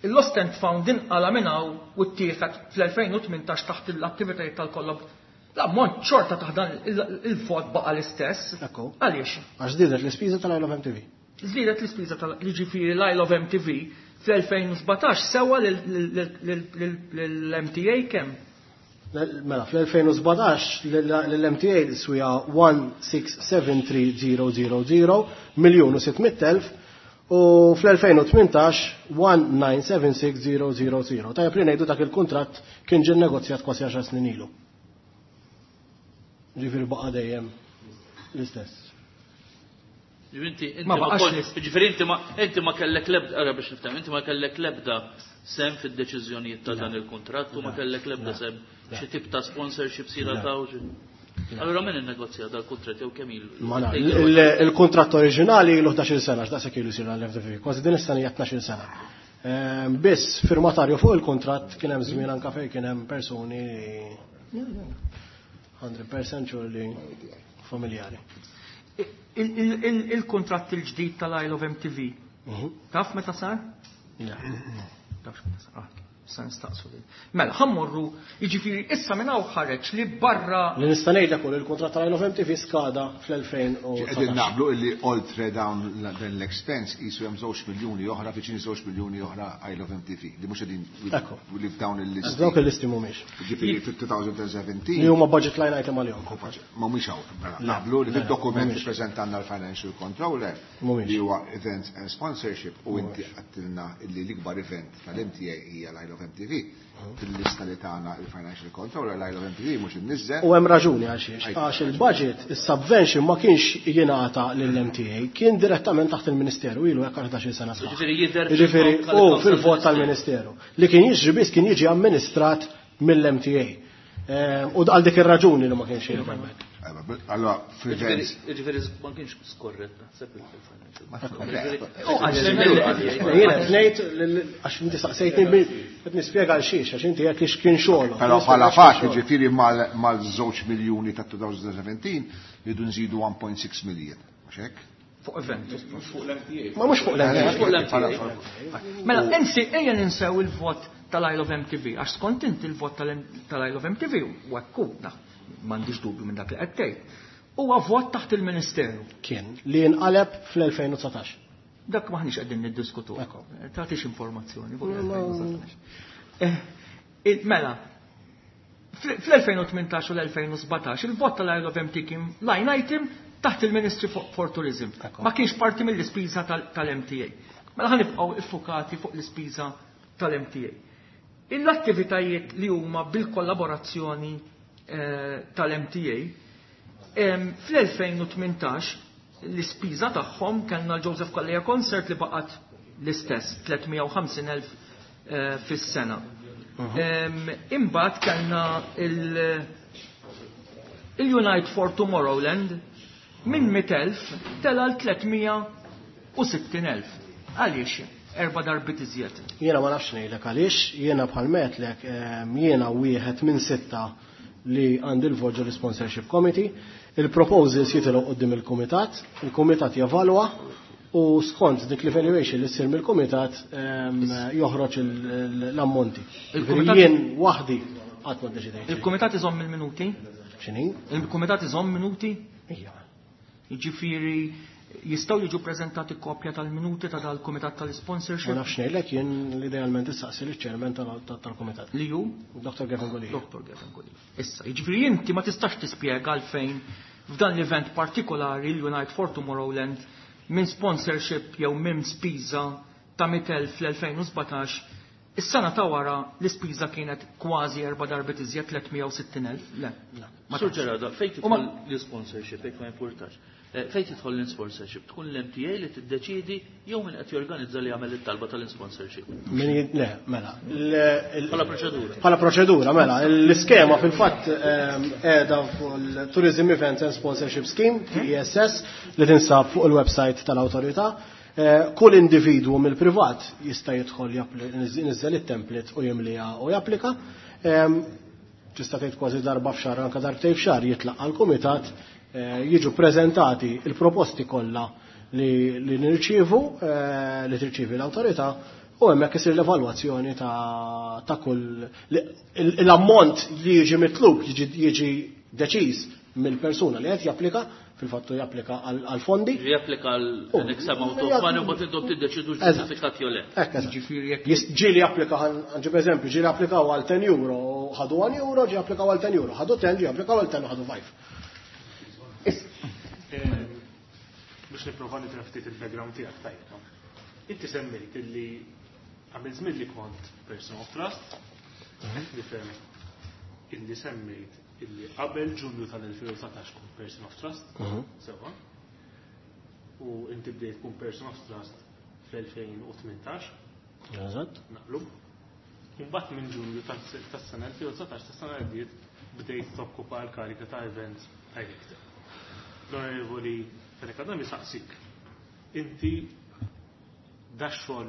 il-Lost and Found inqala minn hawn u ttieħed fl-2018 taħt l-attivitajiet tal-kollab. L-ammont xorta taħt dan il-vot baqa l-istess. Ekku. Għaliex? Għax żdiedet l-ispiża tal-Isle of MTV. Żdiedet l-ispiża tal jiġifieri l-Isle of MTV fl-2017 sewa l-MTA kemm? Mela, fl-2017 l-MTA swija 1673000 miljun u 600,000 u fl-2018 1976000. Tajjeb li ngħidu dak il-kuntratt kien ġie negozjat kważi 10 snin ilu. Ġifieri baqa' dejjem l-istess. Ġifieri Ma baqax l-istess. Ġifieri inti ma kellek lebda, ara biex nifhem, inti ma kellek lebda sem fid-deċiżjonijiet ta' dan il-kuntratt u ma kellek lebda sem xi tip ta' sponsorship sira ta' u xi. Allura min innegozja dal-kuntratt jew kemm ilu? Ma naf, il-kuntratt oriġinali ilu 11 sena, x'daqshekk ilu jsir għall-FDV, kważi din is-sena hija 12 sena. Biss firmatarju fuq il-kuntratt kien hemm żmien anke fejn kien hemm persuni 100% sure li familjari. Il-kuntratt il-ġdid tal-Isle of MTV, taf meta sar? Le. Tafx meta sar. Sa nistaqsu lil. Mela, ħammorru, jiġifieri issa minn hawn ħareġ li barra Li nista' ngħidlek ukoll il-kuntratt tal-Isle of MTV skada Qegħdin fl-2019. naqblu illi oltre dawn dan l-expense qisu hemm 2 miljuni oħra, viċini 2 miljuni oħra Isle of MTV li mhux qegħdin Ekku. li f'dawn il-listi. Dawk il-listi mhumiex. Ġifieri fil-2017 Li huma budget line item għalihom. Ma mhumiex hawn. Mela, Naqblu li fid-dokument li preżentanna l-Financial Controller Mhumiex. li huwa Events and Sponsorship u inti għattilna illi l-ikbar event tal-MTA hija l-Isle of MTV. Fil-lista li tagħna il-Financial Controller l-Isle of MTV mhux imniżżel. U hemm raġuni għal xiex. Għax il-budget, is-subvention ma kienx jingħata lill-MTA, kien direttament taħt il-Ministeru ilu hekk 11 sena sħaħ. Ġifieri jidher Ġifieri fil-vot u tal- fil-vot tal-Ministeru. Li kien jiġri biss kien jiġi amministrat mill-MTA. U għal dik ir-raġuni li ma kienx jidher hemmhekk. Allora, fil-events. Ġifieri ma kienx skorrett naħseb il-financial. Jiena qed ngħid għax inti saqsejtni qed nispjega għal xiex għax inti qed li x'kien xogħol. Però bħala fatt, ġifieri mal-żewġ miljuni ta' 2017 jridu nżidu 1.6 million. Mhux hekk? Fuq event. Fuq l-MTA. Ma mhux fuq l-MTA. Fuq l-MTA. Mela, insi, ejja ninsew il-vot tal-Isle of MTV, għax skont inti il-vot tal-Isle of MTV, u ekku, m'għandix dubju minn dak li qed tgħid. Huwa vot taħt il-Ministeru. Kien li nqaleb fl-2019. Dak maħniex qegħdin niddiskutu. Ekku. Tagħtix informazzjoni fuq l-2019. Mela, fl-2018 u l-2017 il-vot tal-Isle of MT kien line item taħt il-Ministry for Tourism. Ma kienx parti mill-ispiża tal-MTA. Mela ħa nibqgħu iffukati fuq l-ispiża tal-MTA. L-attivitajiet li huma bil-kollaborazzjoni tal-MTA fl-2018 l-ispiża tagħhom kellna l-Joseph Calleja Concert li baqgħet l-istess 350,000 fis-sena. Imbagħad kellna il-Unite for Tomorrowland minn 100,000 tela l-360,000. Għaliex? 4 darbiet iżjed. Jiena ma nafx ngħidlek għaliex, jiena bħal metlek, jiena wieħed minn 6 li għandi l-vot ġol sponsorship committee, il-proposals jitilgħu quddiem il-kumitat, il-kumitat jevalwa u skont dik l-evaluation li ssir mill-kumitat joħroġ l-ammonti. Jien waħdi qatt ma ddeċidejt. Il-kumitat iżomm il-minuti? X'inhi? Il-kumitat iżomm minuti? Ija. Jiġifieri jistgħu jiġu preżentati kopja tal-minuti ta' dal-kumitat tal-sponsorship? Ma nafx ngħidlek, jien idealment issaqsi liċ-chairman tal-kumitat. Li hu? Dr. Gavin Gulia. Dr. Gavin Gulia. Issa, jiġifieri inti ma tistax tispjega għalfejn f'dan l-event partikolari l-Unite for Tomorrowland minn sponsorship jew minn spiża ta' 100,000 fl-2017, is-sena ta' wara l-ispiża kienet kważi 4 darbiet iżjed 360,000. Le. Ma Sur tafx. Gerardo, fejn U ma tidħol l-sponsorship, jekk ma importax. Fejn tidħol l-sponsorship, tkun l-MTA li tiddeċidi jew min qed jorganizza li jagħmel it-talba tal-sponsorship. Min le, mela. Bħala proċedura. Bħala proċedura, mela. L-iskema fil-fatt qiegħda fuq il-Tourism Events and Sponsorship Scheme, TESS, li tinsab fuq il-website tal-awtorità. Kull individwu mill-privat jista' jidħol jniżżel it-template u jimliha u japplika. Tista' tgħid kważi darba f'xahar, anke darbtejn f'xahar jitlaq għall-kumitat, jiġu preżentati il-proposti kollha li nirċievu, li tirċievi l-awtorità, u hemmhekk isir l-evalwazzjoni ta' kull l-ammont li jiġi mitlub jiġi deċiż mill-persuna li qed japplika, fil-fattu japplika għal fondi. Jiġi japplika għal U an X amount of money u mbagħad intom tiddeċidu Eżatt. ġustifikat jew le. Hekk, eżatt. Jiġifieri jekk Ġieli japplika, ħanġib eżempju, ġieli applikaw għal 10 euro, ħadu 1 euro, ġi applikaw għal 10 euro, ħadu 10, ġi applikaw għal 10, ħadu 5. Biex nipprova nifhem ftit il-background tiegħek tajjeb. Inti semmejt illi għamil żmien li kont person of trust, nifhem illi semmejt illi qabel Ġunju tal-2019 kont person of trust, sewwa. U inti bdejt tkun person of trust fl-2018. Eżatt. Naqlu. Imbagħad minn Ġunju tas-sena 2019 tas-sena li għaddiet bdejt tokkupa l-karika ta' events director. L-Onorevoli Fenech Adami saqsik, inti dax-xogħol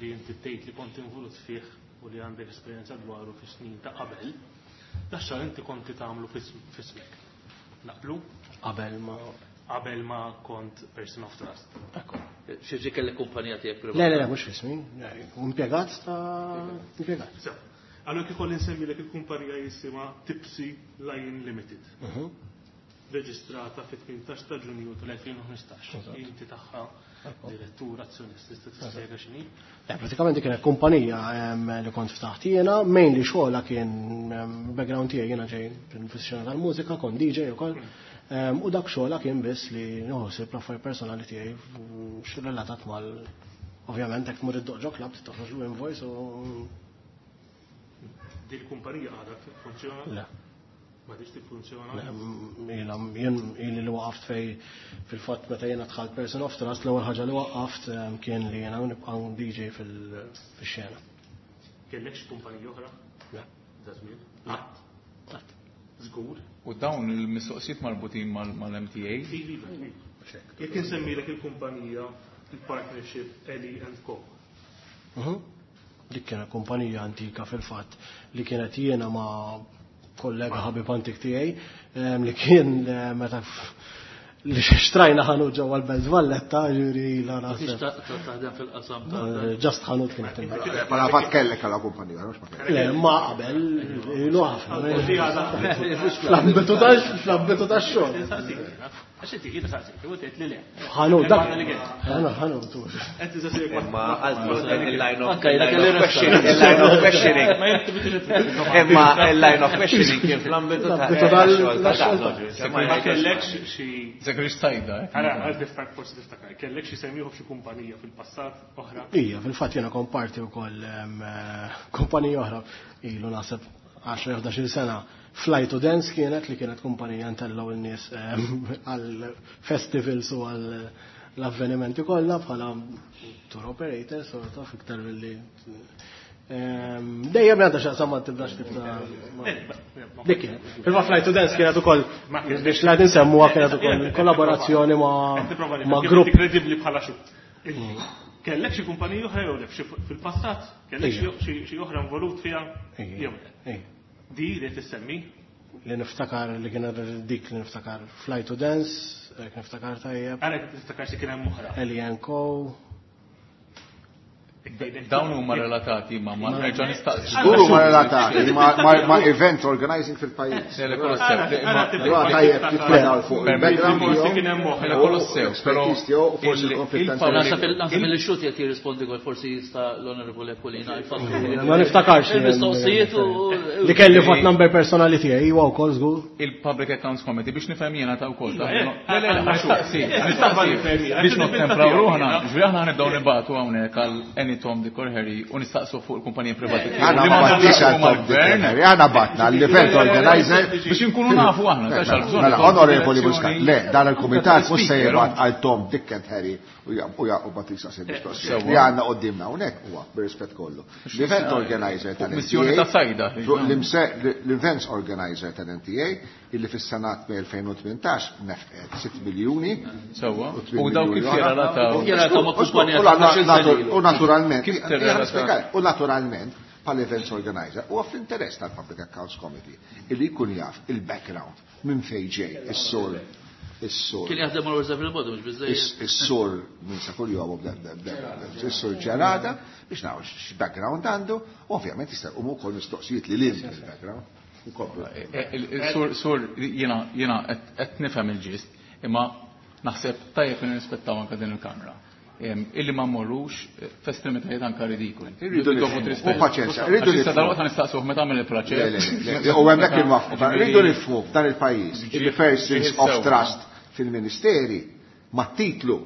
li inti tgħid li kont involut fih u li għandek esperjenza dwaru fis-snin ta' qabel, dax-xogħol inti konti tagħmlu fismek. Naqblu? Qabel ma Qabel ma kont person of trust. Ekku. Xi ġi kellek kumpanija tiegħek privata? Le, le, le, mhux fismi. Impjegat ta' impjegat. So, allora kif kolli nsemmilek il-kumpanija jisimha Tipsy Lion Limited. Reġistrata fit-18 ta' Ġunju tal-2015. Eżatt. Inti tagħha direttur azzjonist, tista' tispjega x'inhi? Le, pratikament kienet kumpanija li kont ftaħt jiena, mainly xogħla kien background tiegħi jiena ġej fis-xena tal-mużika, kont DJ ukoll. U dak xogħla kien biss li nħossib l-affarijiet personali tiegħi x'relatat mal ovvjament jekk tmur id-doġo club toħroġ l-invoice u Din il-kumpanija għadha tiffunzjona? Le. Ma tix tiffunzjona? Le, jien ili li waqaft fej fil-fatt meta jiena dħalt person of trust, l-ewwel ħaġa li waqaft kien li jiena nibqa' DJ fix-xena. Kellek xi kumpanija oħra? Le. Da żmien? Le. Qatt. Żgur. U dawn il-mistoqsijiet marbutin mal-MTA? Iva, iva. Jekk insemmilek il-kumpanija, il-partnership Eli and Co. Dik kienet kumpanija antika fil-fatt li kienet jiena ma' kollega ħabib antik tiegħi, li kien meta li xtrajna ħanut ġewwa l-Belt Valletta, ġifieri la Biex naħseb. taħdem fil-qasam ta' Just ħanut kienet inbigħ. Pala fatt kellek għala kumpanija, mhux ma kellek. Le, ma qabel, ilu ħafna. Fl-ambitu ta' fl-ambitu ta' xogħol. Għax inti jiena saqsik, u tgħid li le. Ħanut, dak. Imma li kien. Ħana ħanut. Qed tisaqsik Imma għazlu il-line of Anka jiena kelli il-line of questioning, il-line of questioning. Ma jekk tibdilx Imma il-line of questioning kien fl-ambitu ta' Fl-ambitu tal- xogħol ta' tax-xogħol. Ma kellekx xi Zekri xtajda, eh? Ara, għal tiftakar forsi tiftakar, kellek xi semmiħu f'xi kumpanija fil-passat oħra. Ija, fil-fatt jiena komparti wkoll kumpanija oħra ilu naħseb 10-11 sena. Fly to Dance kienet li kienet kumpanija ntellgħu n-nies għal festivals u għal l-avvenimenti kollha bħala tour operator sort of iktar milli dejjem għandha x'aqsam ma tibdax tip ta' dik kienet. Fil-fatt Fly to Dance kienet ukoll biex la nsemmuha kienet ukoll kollaborazzjoni ma' grupp Kredibbli bħala xut. Kellek xi kumpanija oħra jew le fil-passat, kellek xi oħra involut fiha jew le. Di li tissemmi Li niftakar li kienet dik li niftakar Fly to Dance, jekk niftakar tajjeb, għalek tiftakar xi kien hemm oħra. Alien Co. Dawn huma relatati ma' ma' nerġa' nistaqsi. Żgur huma relatati ma' event organizing fil-pajjiż. Le, le, kollox sew. Le, imma- Allura tajjeb titfadaw fuq il-background Forsi tiegħu, kien hemm oħra. Mela kollox sew, però l-expertise tiegħu u forsi l-konflitt ta' il-public- interess. Naħseb il xut qed jirrispondi għal forsi jista' l-Onorevoli Aquilina jfakru. Ma niftakarx. Il-mistoqsijiet u Li kelli VAT number personali tiegħi huwa wkoll żgur. il-Public Accounts Committee biex nifhem jiena ta' wkoll. Iva, Ta' eh, Le, le, le, nistaqsi, eh, nistaqsi. eh, Biex eh, nottempraw eh, ruħna, eh, ġifieri aħna ħanibdew nibatu hawnhekk għal any Tom, Dick or Harry u nistaqsu fuq il-kumpanija privati. tiegħu. Għana Li ma ma battix naqsmu għal Tom Dick mal-gvern and Harry, għana batna l-event organizer. biex inkunu nafu aħna, ta' xal-bżonn. Mela, onorevoli Muscat, le, dan il-komitat mhux se Speaker, jibgħat għal Tom Dick and Harry u jaqbad jistaqsi mistoqsijiet. Sewwa. Li għandna qudiemna hawnhekk huwa bir-rispett kollu. L-event organizer tal-NTA. Missjoni ta' sajda. L-events organizer tal-NTA illi fis-sanat 2018 nefqet 6 miljuni. Sewwa. u 8 U daw kif miljuni oħra. jirrelataw? Jirrelataw ma' kumpanija U ta' 12 sena ilu. U naturalment, Kif tirrelata? u naturalment, pal events organizer, u fl-interess tal-Public Accounts Committee, illi jkun jaf il-background minn fejn ġej, is-sur, is-sur, Kien jaħdem mal Reserve il-Bodu mhux biżejjed. is-sur minn sa kull jom, is-sur ġerada, biex naraw x-background għandu, u ovvjament jista' jqumu wkoll mistoqsijiet li lil il-background. Inkomplu. Sur, sur, jiena, jiena, qed nifhem il-ġist, imma naħseb tajjeb li nirrispettaw anke din il-kamra. Illi ma mmorrux f'estremitajiet anka ridikoli. Irridu Dovut nifhmu. rispett. U paċenzja, irridu Għax issa nifhmu. dalwaqt nistaqsuh meta għamel il-proċess. Le, le, le, U hemmhekk inwaffqu. Rridu nifhmu f'dan il-pajjiż il-persons ġiħ of sew. trust fil-ministeri ma' titlu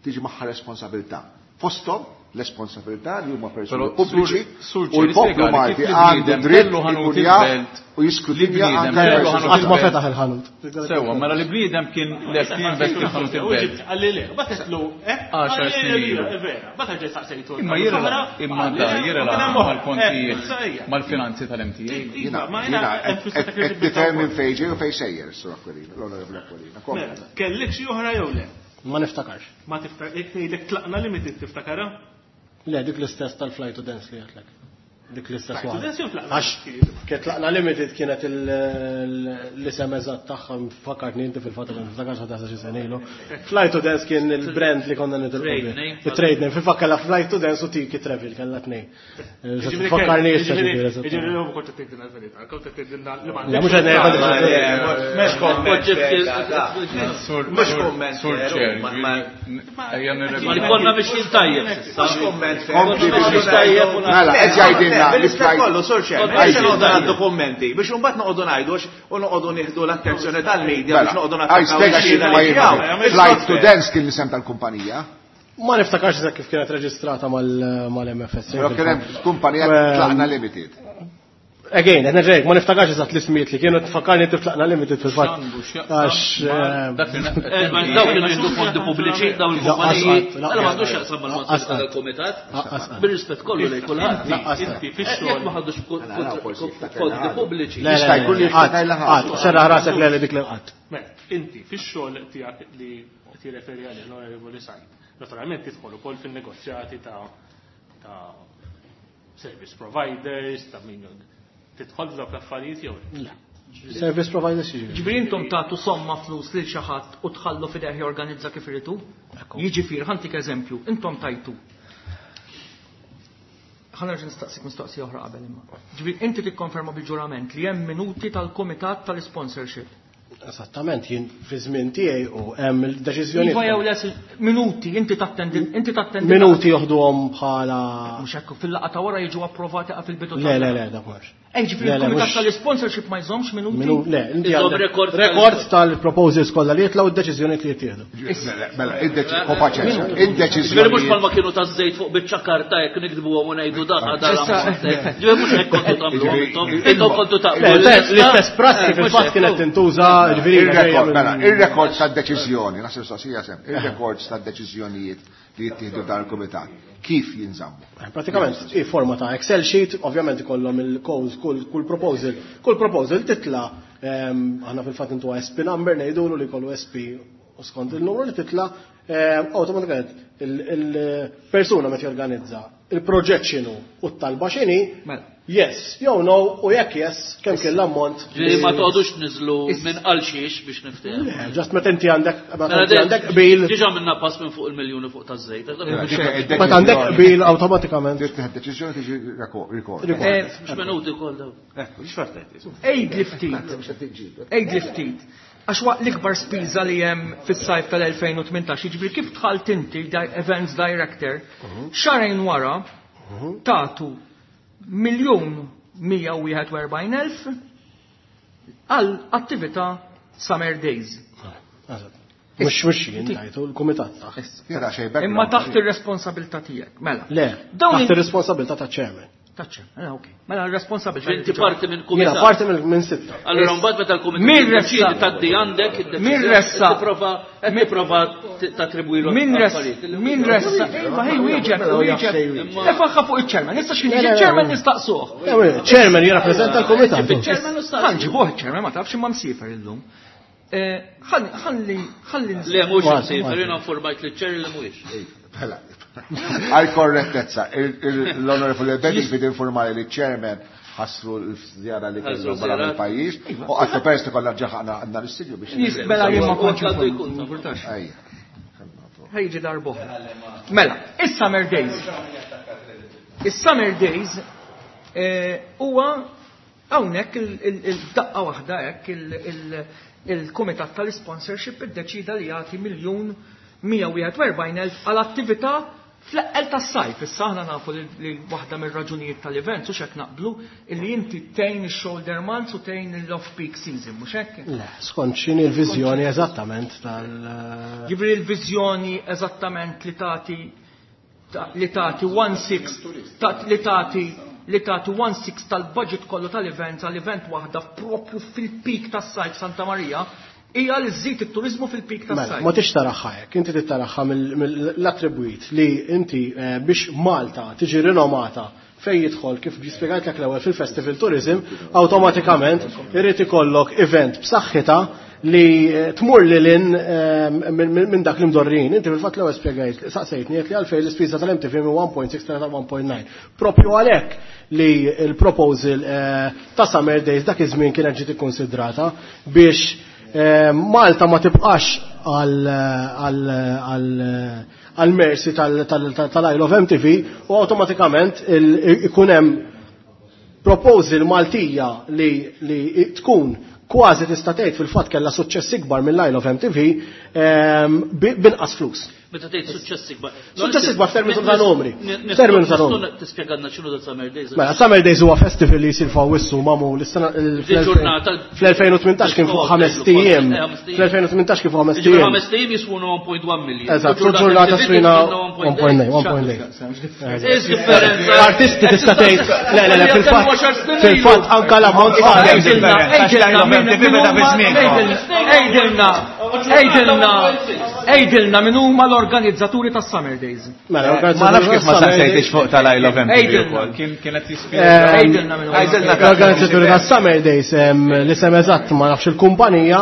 tiġi magħha responsabilità. Fosthom l-responsabilità li huma persuni Però, pubbliċi Sur- u l-poplu Sur, Malti kif li għandu bniedem dritt kellu ħanut ikun jaf il-belt, u jiskrutinja li bniedem anke kellu l-persons ħanut Qatt ma il-belt. fetaħ il-ħanut. Sewwa, mela li bniedem kien lest jinvesti f'ħanut il-belt. Għalli le, batetlu, eh? Għaxar Għalli snin le, ilu. Vera, batet ġej saqsejtu. Imma jirrela, imma da jirrela mal-kontijiet, mal-finanzi tal-MTA. Jiena jiena qed tifhem minn fejn ġej u fejn sejjer, Sur Aquilina, l-Onorevoli Aquilina. Kompli. Mela, Kellek xi oħra jew le? Ma niftakarx. Ma tiftakar, jekk ngħidlek tlaqna limited tiftakara? Le, dik l-istess tal-Fly to Dance li għatlek. Dik l-istess Fly to waħda. Dance jew tlaqna? Għax kien tlaqna limited kienet l-isem eżatt tagħha fakkartni inti fil-fatt ma niftakarx ħadd xi sena ilu. Fly to Dance kien il-brand li konna nitilqu Trade bih. name. Il-trade name. Fil-fatt kellha Fly to Dance u Tiki Travel kellha tnejn. Fakkarni issa ġifieri eżatt. Ġifieri jew kont tgħidilna l-verità, kont tgħidilna li ma Le, mhux qed ngħid- Mhux komment. Sur, Mhux sur, komment sur fair, ċer, ma- ejja Ma li konna biex tajjeb s'issa. Mhux komment fair. Kompli Konna biex biex tajjeb u Mela, qed jgħidilna li Bil-rispett flight- kollu, sur ċer, Konna biex biex noqogħdu tajjeb. ngħaddu kummenti, biex imbagħad noqogħdu ngħidu u noqogħdu nieħdu l-attenzjoni tal-medja biex Mela, noqogħdu għaj nattakkaw spjega ix-xhieda xi ma li jien. tiegħu. Flight to Dance kien l-isem tal-kumpanija. Ma niftakarx eżatt kif kienet reġistrata mal-MFS. Però kien hemm kumpanija tlaqna limited. Again, qed nerġa' ma niftakarx eżatt l-ismijiet li kienu tfakkarni inti tlaqna limited fil-fatt. X'għandu x'jaqsam Għax ma' dak li Ma Dawk kienu jieħdu fondi pubbliċi, dawn il-kumpaniji. Laqqas qatt, Mela m'għandux x'jaqsam mal-mandat laqqas qatt. tal-komitat. Laqqas qatt. Bir-rispett kollu lejn kulħadd. Laqqas qatt. Inti Jekk fix-xogħol ma ħadux fondi pubbliċi. Le, le, Jista' jkun li le, qatt, jiftakar il-ħadd. qatt, serraħ rasek le le dik li qatt. Mela, inti fix-xogħol tiegħek li qed jirreferi għalih l-Onorevoli Said, naturalment tidħol ukoll fin-negozjati ta' ta' service providers, ta' min tidħol f'dawk l-affarijiet jew le? Le. Service providers jiġifieri. Ġifieri intom tagħtu somma flus lil xi ħadd u tħallu fideh jorganizza kif iridu? Jiġifieri, ħa ntik eżempju, intom tajtu. Ħa nerġa' nistaqsik mistoqsija oħra qabel imma. Ġifieri inti tikkonferma bil-ġurament li hemm minuti tal-kumitat tal-sponsorship. Esattament, jien fi żmien tiegħi u hemm il-deċiżjoni. Iva jew le minuti, inti tattendi, inti tattendi. Minuti joħduhom bħala. Mhux hekk fil-laqgħa ta' wara jiġu approvati fil-bidu Le, le, le, dak mhux. Ej, ġifieri il-kumitat tal-sponsorship ma jżommx minuti? Le, inti għandek rekord tal-proposals kollha li jitlgħu d-deċiżjonijiet li jittieħdu. Mela, id-deċiżjoni, id-deċiżjoni. Mhux bħalma kienu taż-żejt fuq biċċa karta jekk nikdbuhom u ngħidu dak għadha Ġifieri mhux hekk kontu tagħmluhom intom, intom kontu taqblu. L-istess prassi fil-fatt kienet tintuża ġifieri. Mela, ir-rekords tad-deċiżjoni, naħseb saqsija sem, ir-rekords tad-deċiżjonijiet li jittieħdu dan il-kumitat, kif jinżammu? Pratikament, i forma ta' Excel sheet, ovvjament ikollhom il-codes, kull proposal, kull proposal titla, aħna fil-fatt intu SP number ngħidulu li jkollu SP u skont il-numru li titla, awtomatikament il-persuna meta jorganizza il-proġett x'inhu u t-talba x'inhi, yes, jew no, u jekk yes, kemm kien l-ammont. Ġifieri ma toqgħodux tniżlu minn għal xiex biex niftehmu. Le, ġast meta inti għandek, meta inti għandek qbil. Diġà minna pass minn fuq il-miljuni fuq taż-żejt. Meta għandek qbil awtomatikament. Tieħed deċiżjoni tiġi rekord. Mhux minuti wkoll dawn. Għidli ftit. Għidli ftit. Għax waqt l-ikbar spiża li hemm fis-sajf tal-2018, jiġifieri kif dħalt inti events director, xahrejn wara tagħtu 1,141,000 għal attività Summer Days. Mhux jien tajtu l-kumitat taħt. Imma taħt ir-responsabilità tiegħek, mela. Le, taħt ir-responsabilità ta' chairman. Taċċa, mela ok. Mela r-responsabilità. Inti parti minn kumitat. Jiena parti minn sitta. Allura mbagħad meta l-kumitat jiddeċiedi tgħaddi għandek Min ressa? Tipprova qed tipprova tattribwilu. Min ressa? Min ressa? Iva, ħej wieġeb, wieġeb. Tefaħħa fuq iċ-chairman. Issa x'kien jiġi chairman nistaqsuh. Chairman jirrappreżenta l-kumitat. Ħa nġibuh iċ-chairman ma tafx imma msiefer illum. Ħalli, ħalli. Le mhux msiefer, jiena informajt liċ-chair li mhuwiex. Mela, għal korrettezza, l-Onorevoli Bedingfield bid informali li chairman ħassru l-żjara li kellu barra mill-pajjiż u għattu pers li kollha ġaħna għandna l-istudju biex. Mela jien ma kontx infurtax. Ħejġi darbohra. Mela, is-Summer Days. Is-Summer Days huwa hawnhekk il-daqqa waħda hekk il-Kumitat tal-Sponsorship iddeċida li jagħti 1,141,000 għal attività fl-eqqel tas-sajf. Issa aħna nafu li waħda mir-raġunijiet tal-events u x'hekk naqblu illi inti tgħin ix-shoulder months u tgħin l-off-peak season, mhux hekk? Le, skont x'inhi l-viżjoni eżattament tal- Jiġifieri l-viżjoni eżattament li tagħti li tagħti one sixth, li tagħti li tagħti one sixth tal-budget kollu tal-event għal-event waħda propju fil-peak tas-sajf Santa Maria hija li żżid it-turizmu fil-peak tas-sajf. Mela, ma tix taraħħa hekk, inti taraħħa mill-attribwit li inti biex Malta tiġi rinomata fej jidħol kif spjegajtlek l-ewwel fil-festival tourism, awtomatikament irid ikollok event b'saħħitha li tmur lil hinn minn dak li mdorrin. Inti fil-fatt l-ewwel spjegajt, saqsejtni qed li għalfejn l-ispiża tal-MTV minn 1.6 tal 1.9. Propju għalhekk li l-proposal ta' Summer Days dak iż-żmien kienet ġiet ikkonsidrata biex Malta ma tibqax għal mercy tal-Isle of MTV u awtomatikament ikun hemm proposal Maltija li tkun kważi tista' tgħid fil-fatt kellha suċċess ikbar mill-Isle of MTV binqas flus. Meta tgħid suċċess ikbar. Suċċess ikbar f'termini ta' numri. F'termini ta' numri. Tispjegalna x'inhu da Summer Days. Mela, Summer Days huwa festival li jsir f'Awwissu magħmul is-sena Il-ġurnata fl-2018 kien fuq ħames tiem. Fl-2018 kien fuq ħames tiem. Ħames tiem jiswuna 1.1 million. Eżatt, u ġurnata swina 1.9, 1.9. Is differenza. Artisti tista' tgħid, le, le, le, fil-fatt anke l-ammont ta' Għidilna, għidilna, għidilna min huma l-organizzaturi tas Summer Days. Mela, Ma nafx kif ma saqsejtix fuq tal-Isle of MTV Għidilna. ukoll. Kien kienet jispjega. Għidilna min huma. Għidilna. L-organizzaturi tas Summer Days, li sem eżatt ma nafx il-kumpanija,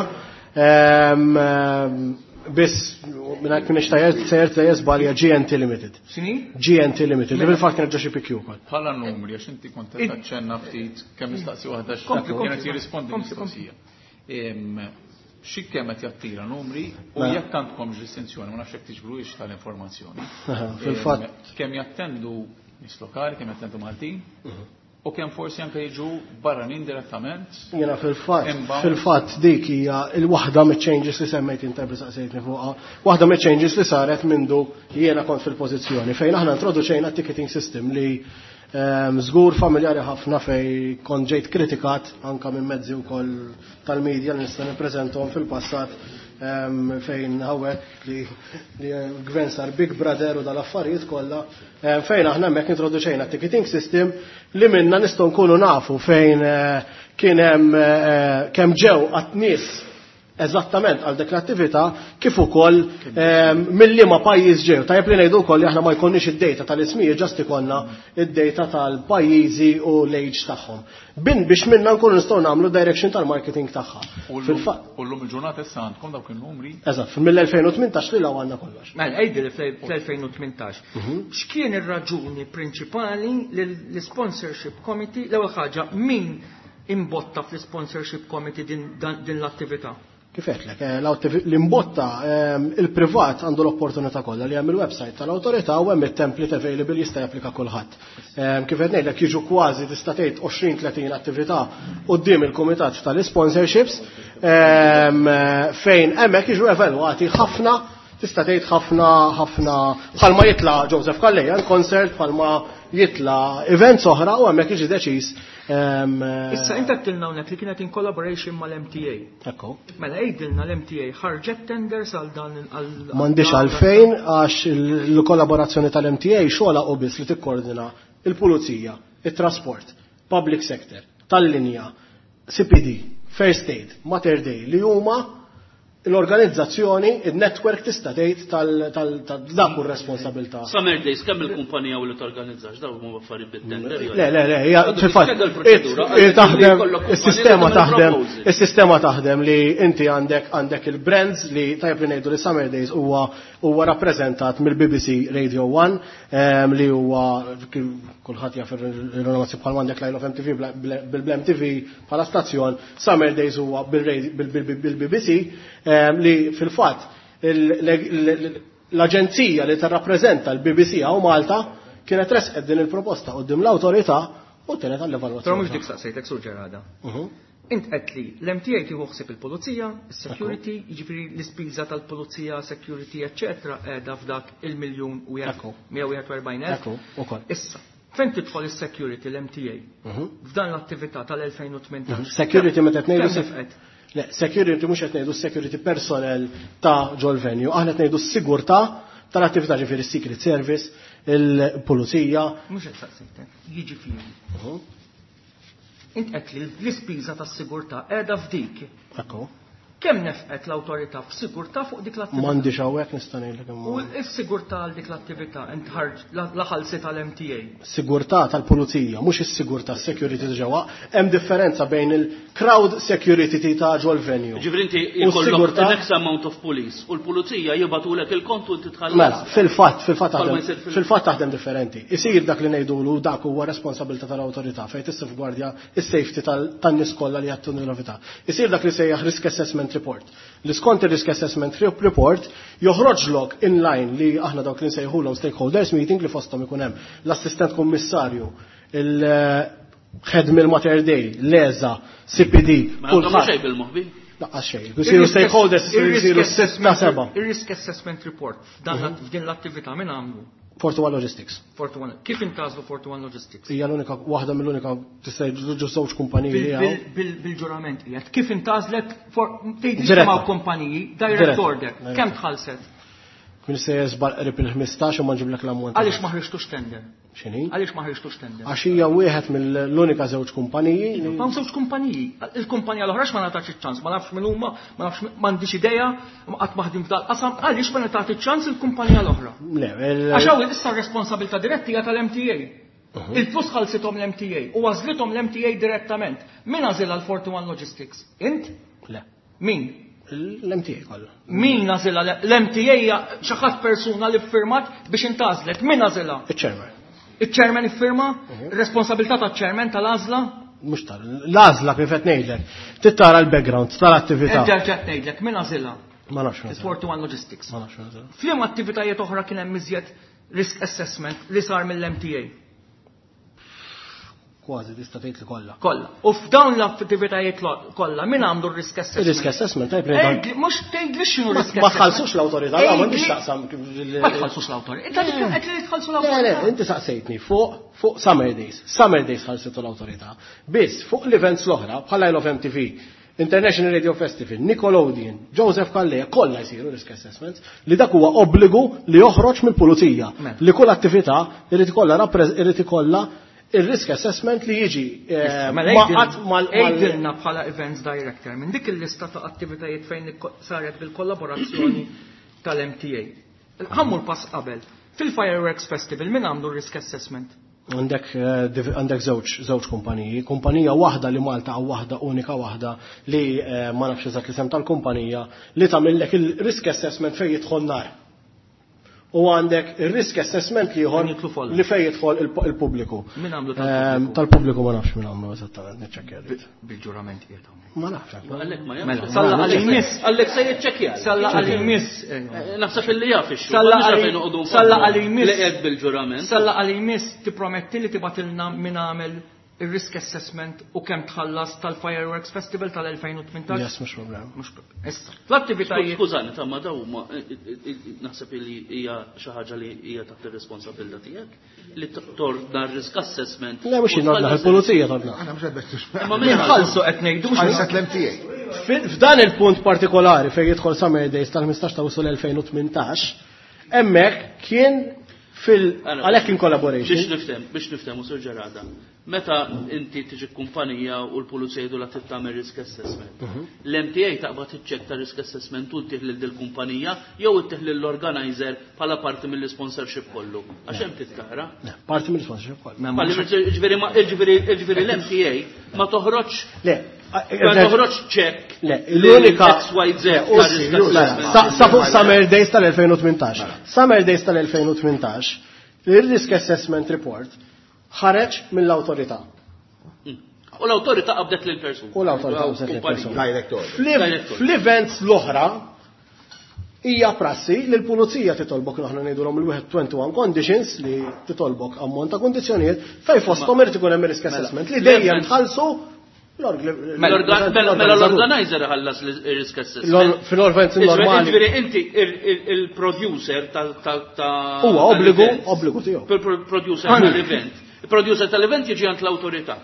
Biss, minn kien ixtajert sejjer sejjer żbalja GNT Limited. X'inhi? GNT Limited, li fil-fatt kienet ġo xi PQ wkoll. Bħala numri, għax inti kont qed taċċenna ftit kemm nistaqsi waħda Kompli, kompli, kienet jirrispondi kompli, kompli. mistoqsija. Xi kemm qed jattira numri u Mela. jekk għandkomx distinzjoni, ma nafx jekk tiġbruhiex tal-informazzjoni. Aha, Fil-fatt, Kemm jattendu nies lokali, kemm jattendu Maltin, u kemm forsi anke jiġu barranin direttament. Jena fil-fatt, Inbound. fil-fatt dik hija il-waħda mill-changes li semmejt inta bli saqsejtni fuqha, waħda mill-changes li saret mindu jiena kont fil-pożizzjoni fejn aħna introduċejna ticketing system li żgur familjari ħafna fej kont ġejt kritikat anka minn mezzi wkoll tal-medja li nista' nippreżentahom fil-passat fejn hawnhekk li li l-gvern sar Big Brother u dal-affarijiet kollha fejn aħna hemmhekk introduċejna ticketing system li minna nistgħu nkunu nafu fejn kien hemm kemm ġew għat nies eżattament għal dik l-attività kif ukoll mill-liema pajjiż ġew. Tajjeb li ngħidu wkoll li aħna ma jkollniex id-data tal-ismijiet ġast ikollna id-data tal-pajjiżi u l-age tagħhom. Bin biex minna nkunu nistgħu nagħmlu direction tal-marketing tagħha. U llum- Fil-fatt, U llum il-ġurnata issa għandkom dawk il-numri eżatt, mill-2018 li law għandna kollox. Mela, għidli li fl-2018. X'kien ir-raġuni prinċipali li l-sponsorship committee, l-ewwel ħaġa, min imbotta fl-sponsorship committee din dan- din l-attività? Kif għedtlek, l-imbotta il-privat għandu l-opportunità kollha li hemm il-website tal-awtorità u hemm it-template available jista' japplika kulħadd. Kif qed ngħidlek jiġu kważi tista' tgħid 20-30 attività quddiem il-kumitat tal-sponsorships fejn hemmhekk jiġu evalwati ħafna tista' tgħid ħafna ħafna bħalma jitla' Joseph Calleja l-concert bħalma jitla' events oħra u hemmhekk jiġi deċiż. Issa inti għedtilna hawnhekk li kienet in collaboration mal-MTA. Ekku. Mela għidilna l-MTA ħarġet tenders għal dan għal M'għandix għalfejn għax il-kollaborazzjoni tal-MTA xogħla u biss li tikkoordina il-pulizija, it-trasport, public sector, tal-linja, CPD, First Aid, Mater Dei li huma l-organizzazzjoni, il-network tista' tgħid tal-dak hu r-responsabilità. Summer Days, kemm il-kumpanija u li torganizzax, dawn huma affarijiet bit-tender. jew- Le, le, le, hija Għandu fil-fatt, tispjega l-proċedura, it- għalli taħdem, jkollok kumpanija is-sistema li tagħmel taħdem, proposal. is-sistema taħdem li inti għandek għandek il-brands li tajb li ngħidu li Summer Days huwa huwa rappreżentat mill-BBC Radio 1 li huwa kulħadd jaf ir-rinomazzjoni bħal għandek Line of MTV bil-Blem TV bħala stazzjon, Summer Days huwa bil-BBC li fil-fatt l-aġenzija li tirrappreżenta l-BBC hawn Malta kienet resqet din il-proposta quddiem l-awtorità u tenet għall-evalwazzjoni. Però mhux dik saqsejtek sur ġerada. Int qed li l-MTA tieħu ħsieb il-pulizija, is-security, jiġifieri l-ispiża tal-pulizija, security, eċċetera, qiegħda f'dak il-miljun u Ekku. 141,000. Ekku, ukoll. Issa, fejn tidħol is-security l-MTA f'dan l-attività tal-2018? Security meta qed ngħidu Kemm nefqet? Le, security mhux qed ngħidu security personnel ta' ġol venue, aħna qed ngħidu s-sigurtà tal-attività ġifieri s-Secret Service, il-pulizija. Mhux qed saqsejtek, jiġifieri. Int qed li l-ispiża tas-sigurtà qiegħda f'dik. Ekku. Kemm nefqet l-awtorità f'sigurtà fuq dik l-attività? M'għandix hawnhekk nista' ngħidlek U imma. s-sigurtà għal dik l-attività int ħarġ la ħalsi tal-MTA. Sigurtà tal-pulizija, mhux is-sigurtà security ta' ġewwa, hemm differenza bejn il-crowd security ta' ġol venue. Ġifieri inti U jkollok s-sigurtà- an X amount of police u l-pulizija jibatulek il-kont u inti tħallas. Mela, fil-fatt, fil-fatt Bħalma taħdem, jsir fil- fil-fatt taħdem differenti. Isir dak li ngħidulu dak huwa responsabilità tal-awtorità fejn tissafgwardja is-safety tan-nies kollha li jattu novità. Isir dak li sejjaħ risk assessment report. Li skont ir-risk assessment report joħroġlok in line li aħna dawk li nsejħulhom stakeholders meeting li fosthom ikun hemm l-assistent kummissarju, il-head mill-Mater Dei, l-ESA, CPD, Ma għandhom kulħadd. xejn bil-moħbi. Laqqas xejn. Isiru stakeholders isiru sitta seba'. Ir-risk assessment report f'dan f'din l-attività min għamlu? Fortuwa Logistics. 41. Kif intażlu 41 Logistics? Hija l-unika waħda mill-unika tista' ġu żewġ kumpaniji li hawn. Bil-ġurament qiegħed. Kif intażlet tgħid Diretta. ma' kumpaniji direct Diretta. order. Diretta. Kemm tħallset? Min se jeżbal qrib il-15 u ma nġiblek l-ammont. Għaliex ma ħriġtux tender? X'inhi? Għaliex ma ħriġtux tender? Għax hija wieħed mill-unika żewġ kumpaniji li Ma żewġ kumpaniji. Il-kumpanija l-oħra ma ngħatax iċ-ċans, ma nafx min huma, ma nafx m'għandix idea, qatt ma ħdim f'dal qasam, għaliex ma ngħatax iċ-ċans il-kumpanija l-oħra? Le, Għax hawn issa r-responsabilità diretti hija tal-MTA. Il-flus ħalsithom l-MTA u għażlithom l-MTA direttament. Min għażilha l-41 Logistics? Int? Le. Min? L-MTA kollha. Min għażilha l-MTA hija xi ħadd persuna li ffirmat biex intgħażlet. Min għażilha? Iċ-chairman. Iċ-chairman iffirma? Responsabilità taċ-chairman tal-għażla? Mhux tal l-għażla kif qed ngħidlek. Trid tara l-background tal-attività. Erġa' qed ngħidlek, min għażilha? Ma nafx min għażilha. 41 Logistics. Ma nafx min għażilha. F'liema attivitajiet oħra kien hemm iżjed risk assessment li sar mill-MTA? Kważi tista' tgħid li kollha. Kollha. U f'dawn l-attivitajiet kollha min għandu r-risk assessment? Ir-risk assessment tajb li. Mhux tgħidli x'inhu risk assessment. Ma tħallsux l-awtorità, ma m'għandix taqsam. Ma tħallsux l-awtorità. Inti qed li tħallsu l-awtorità. Le, le, inti saqsejtni fuq fuq Summer Days. Summer Days ħallsitu l-awtorità. Biss fuq l-events l-oħra bħala Isle of MTV, International Radio Festival, Nickelodeon, Joseph Calleja, kollha jsiru risk assessments li dak huwa obbligu li joħroġ mill-pulizija Mela. li kull attività irid ikollha irid ikollha il-risk assessment li jiġi eh, Mela maqgħad mal Għidilna bħala events director minn dik il-lista ta' attivitajiet fejn saret bil-kollaborazzjoni tal-MTA. Ħammur pass qabel. Fil-Fireworks Festival min għandu risk assessment? Għandek eh, għandek żewġ żewġ kumpaniji, kumpanija waħda li Malta għaw waħda unika waħda li eh, ma nafx eżatt l-isem tal-kumpanija li tagħmillek il-risk assessment fejn jidħol nar. U għandek il-risk assessment li ieħor Fejn jidħlu folla. li fejn jidħol il-pubbliku. Min għamlu Eh, tal-pubbliku? Tal-pubbliku ma nafx min għamlu eżattament, niċċekkja rrid. Bil-ġurament qiegħed hawnhekk. Ma nafx. Għallek ma Mela, jafx. salla għal imiss. Għallek se jiċċekkja. Salla għal imiss. Naħseb illi jaf ix Salla għal- salla għal imiss. Li qed bil-ġurament. Salla għal imiss tipprometti li tibatilna min għamel il-risk assessment u kemm tħallas tal-Fireworks Festival tal-2018. Yes, mhux problem. Mhux Issa, l-attivitajiet. Skużani, ta' ma daw ma naħseb li hija xi ħaġa li hija taħt ir-responsabilità tiegħek li torna risk assessment. Le mhux jien ordna, il-pulizija torna. Aħna mhux qed bettux. Ma Min ħallsu qed ngħidu mhux Ħallset l-MTA. F'dan il-punt partikolari fejn jidħol Summer Days tal-15 ta' Awwissu l-2018, hemmhekk kien fil għalhekk in Biex collaboration. niftem, biex niftem u Sur Ġerada. Meta inti tiġi kumpanija u l-pulizija jgħidu la trid tagħmel risk assessment. L-MTA taqbad iċċekk ta' risk assessment u ttih lil dil-kumpanija jew ittih lill-organizer bħala parti mill-sponsorship kollu. Għax hemm tittara. Le, Parti mill-sponsorship kollha. Palli Ġifieri ma- ġifieri ġifieri l-MTA ma toħroġ Le, ma toħroġ ċekk Le, l-unika XYZ Le, ta' risk mela, assessment. Sa fuq Summer Days tal-2018. Summer Days tal-2018, il-Risk Assessment Report ħareġ mill-awtorità. U l-awtorità qabdet lil persuna. U l-awtorità qabdet lil persuna. Direct order. Direct order. Fl-events l-oħra hija prassi li l-pulizija titolbok aħna ngħidulhom il-21 conditions li titolbok ammont ta' kondizzjonijiet fejn fosthom irid ikun hemm risk assessment li dejjem tħallsu Mela mela l-organizer ħallas l-risk assessment. Fil-events normali. Ġifieri inti il-producer ta' ta' Huwa obbligu, tal-event. obbligu tiegħu. Il-producer tal-event. Il-producer tal-event jiġi għand l-awtorità.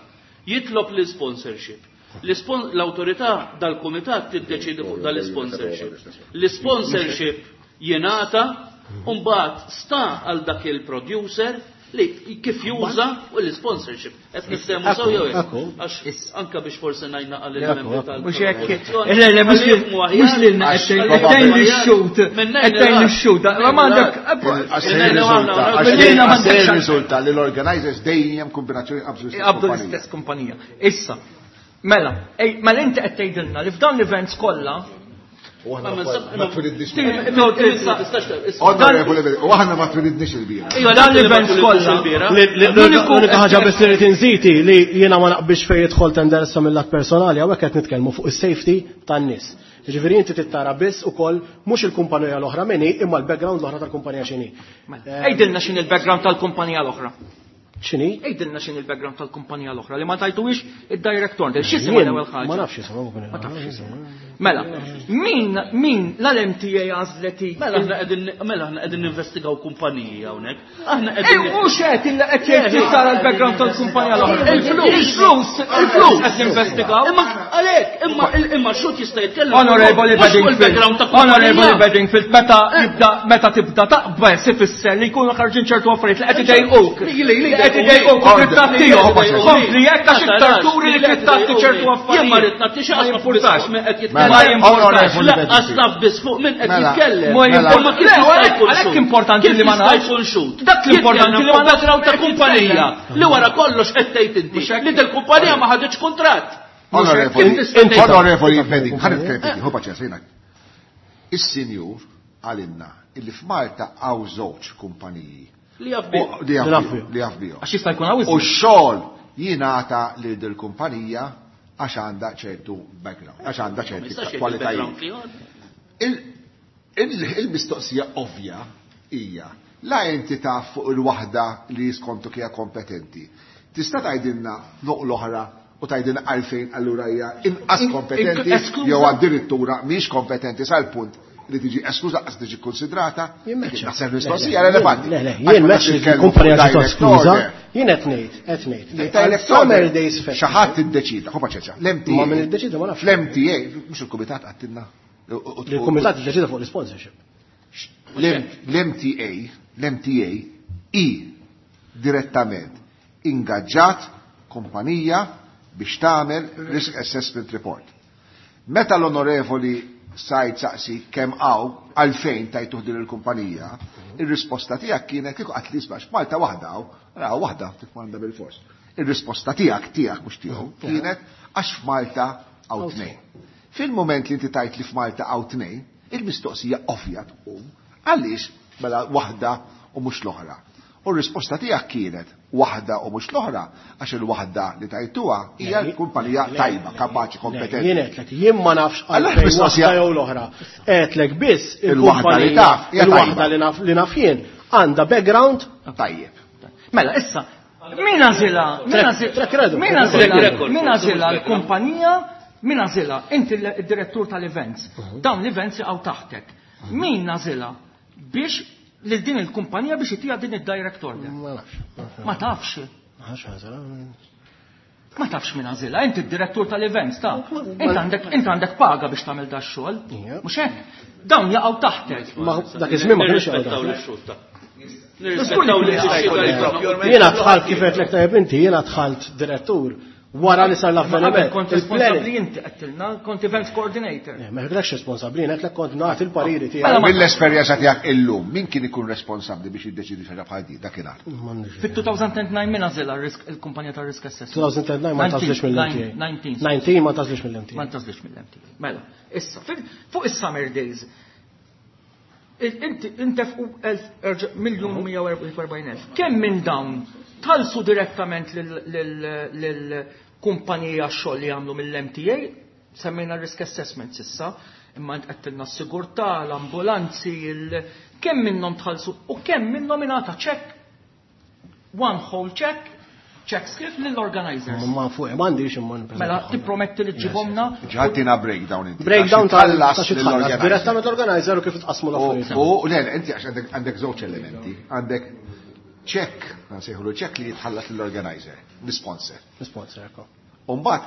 Jitlob l-sponsorship. L-awtorità dal-kumitat tiddeċidi fuq dal-sponsorship. L-sponsorship jingħata u mbagħad sta għal dak il-producer li kif juża u l-sponsorship. Qed niftehmu sew jew hekk? Ekku. Għax anka biex forsi ngħidna għal Ekku, il-membri ekku. tal Mhux hekk. Le, le, mhux lil- mhux lilna qed tgħid qed tgħid lix-xut. Qed tgħid lix-xut. Ma m'għandek. Għax se jirriżulta, għax Lilna se m'għandekx jirriżulta li l-organizers dejjem kombinazzjoni qabżu l-istess Qabdu kumpanija. l-istess kumpanija. Issa, mela, ej, mela inti qed tgħidilna li f'dawn l-events kollha U aħna ma twilidniex. Dan Onorevoli, u aħna ma twilidniex il-bira. dan l-events kollha. L-unika ħaġa biss li rrid inżiti li jiena ma naqbilx fejn jidħol tender issa mill-lat personali hawnhekk qed nitkellmu fuq is-safety tan-nies. Jiġifieri inti tittara biss ukoll mhux il-kumpanija l-oħra min hi imma l-background l-oħra tal-kumpanija x'inhi. Għidilna x'in il-background tal-kumpanija l-oħra. X'inhi? Għidilna x'in il-background tal-kumpanija l-oħra li ma tajtuwix id-director. X'isima Jien l-ewwel ħaġa? Ma nafx isimha kumpanija. Ma tafx isimha. Mela, min min l-MTA għażleti? Mela aħna qegħdin mela aħna qegħdin ninvestigaw kumpaniji hawnhekk. Aħna Ej, qegħdin mhux qed illa qed jgħid tara l-background tal-kumpanija l-oħra. Il-flus. Il-flus, il-flus qed ninvestigaw. Imma għalhekk, imma imma xut jista' jitkellem. Honorable mhux fuq Bedingfield, il-background ta' Honorable kumpanija. Bedingfield, meta jibda meta tibda taqbel ifisser li jkunu ħarġin ċertu affarijiet li qed idejquk. Li qed idejquk u trid tagħtihom. Kompli jekk għax iktar turi li trid tagħti ċertu Jien ma rrid affarijiet. nagħti xi Ma qas jimpurtax. min qed Mela, Ma jitkellem. jimpurtax. Honorable Laqqas Bedingfield. naf biss fuq min qed Mela, jitkellem. Ma Mela. jimpurtax. Imma kif Le, jista' għalhekk jkun għalhekk xhud? importanti Kif li ma jista' nafx. jkun xhud? Dak l-importanti li ma nafx. Background ta' kumpanija li wara kollox qed tgħid inti Mhux hekk. li dil-kumpanija ma ħaditx kuntratt. Onorevoli, Kif tista' tgħid- onorevoli Beding, ħa nitkellem ftit, ħu paċenzja jiena. Is-sinjur għalinna illi f'Malta hawn żewġ kumpaniji. Li jaf bihom. U- Li jaf bihom, Li jaf bihom. Għax jista' jkun hawn U iżjed. x-xogħol jingħata lil dil kumpanija għax għandha ċertu background, għax għandha Ma ċerti jistax jgħid kwalitajiet. il-background ieħor. Il-mistoqsija ovvja hija la inti taf fuq il-waħda li skontu hija kompetenti. Tista' tgħidilna fuq l-oħra u tgħidilna għalfejn allura hija inqas kompetenti eskluża. jew addirittura mhix kompetenti sal-punt li tiġi eskluża qas tiġi konsidrata. Jien meċċa. Naħseb mistoqsija relevanti. Le, le, Għax jien meta meċċa li titkellmu l-kumpanija fuq ġiet direct eskluża, order, jien qed ngħid, qed ngħid. li direct Summer order, Days Xi Festival. ħadd iddeċida, ħu paċenzja, l-MTA. Ma min iddeċida ma nafx. Fl-MTA, mhux il-kumitat għattilna. Li l-kumitat iddeċida fuq l-sponsorship. L-MTA, l-MTA i direttament ingaġġat kumpanija biex tagħmel risk assessment report. Meta l-onorevoli Said saqsi kemm hawn għalfejn tajtuh din il-kumpanija, ir-risposta tiegħek kienet kieku qatt li isma' Malta waħda hawn, raw waħda tikmanda bil-fors. Ir-risposta tiegħek tiegħek mhux tiegħu kienet għax f'Malta hawn tnejn. Fil-moment li inti tajt li f'Malta hawn tnejn, il-mistoqsija ovvja tqum għaliex mela waħda u mhux l-oħra. U r-risposta tiegħek kienet waħda u mhux l-oħra għax il-waħda li tajtuha hija l-kumpanija tajba, kapaċi, kompetenti. Jien għedtlek, jien ma nafx Allora, għalfejn mistoqsija- waħda jew l-oħra. Għedtlek biss Il-waħda li il-kumpanija, taf, hija il-waħda tajba. li naf li naf jien għandha background Tajjeb. Mela, issa, min għażilha? Min Track- għażilha? track record. Min Track għażilha? record. Min għażilha l-kumpanija? Min għażilha? Inti l-direttur tal-events. Dawn l-events jaqgħu taħtek. Min għażilha biex lil din il-kumpanija biex itija din id-direct order? Ma nafx. Ma tafx. Ma nafx għażilha. Ma tafx min għażilha, inti d-direttur tal-events ta' Int għandek int għandek paga biex tagħmel da x-xogħol. Ija. Mhux hekk? Dawn jaqgħu taħtek. Ma dak iż-żmien ma kienx jaqgħu Nirrispettaw taħtek. l-xulta. Nirrispettaw l-xulta. Jiena dħalt kif għedtlek tajjeb inti, jiena dħalt direttur wara li sar Ma qabel l-avveniment. kont responsabbli inti qedtilna, kont events coordinator. Eh, Ma għedtlekx responsabbli, jien għedtlek kont nagħti l-pariri Mela tiegħi. ma- Mill-esperjenza tiegħek illum, min kien ikun responsabbli biex jiddeċidi xi ħaġa bħal di dakinhar? M'għandix. Fit-2009 min għażilha r-risk- il-kumpanija tar-risk assessment? 2009 ma tażlix mill-MTA. 19. 19 ma tażlix mill-MTA. Ma ntażlix mill-MTA. Mela, issa, fuq is-summer days, inti intefqu 1,144,000. Kemm minn dawn talsu direttament lill-kumpanija xogħol li jagħmlu mill-MTA, semmejna risk assessment sissa, imma int qedtilna s-sigurtà, l-ambulanzi, kemm minnhom tħallsu u kemm minnhom ingħata check, one whole check, check script lill-organizers. Ma fuq m'għandix imma nippreżenta. Mela, tipprometti li ġibomna Ġatina breakdown inti. Breakdown Għax tħallas ta' xi tħallas lill-organizer. direttament l-organizer u kif tqasmu l-affarijiet. U le, le, inti għax għandek żewġ elementi. Għandek check, nsejħulu check li jitħallas lill-organizer, l-sponsor. L-sponsor, ekko. U mbagħad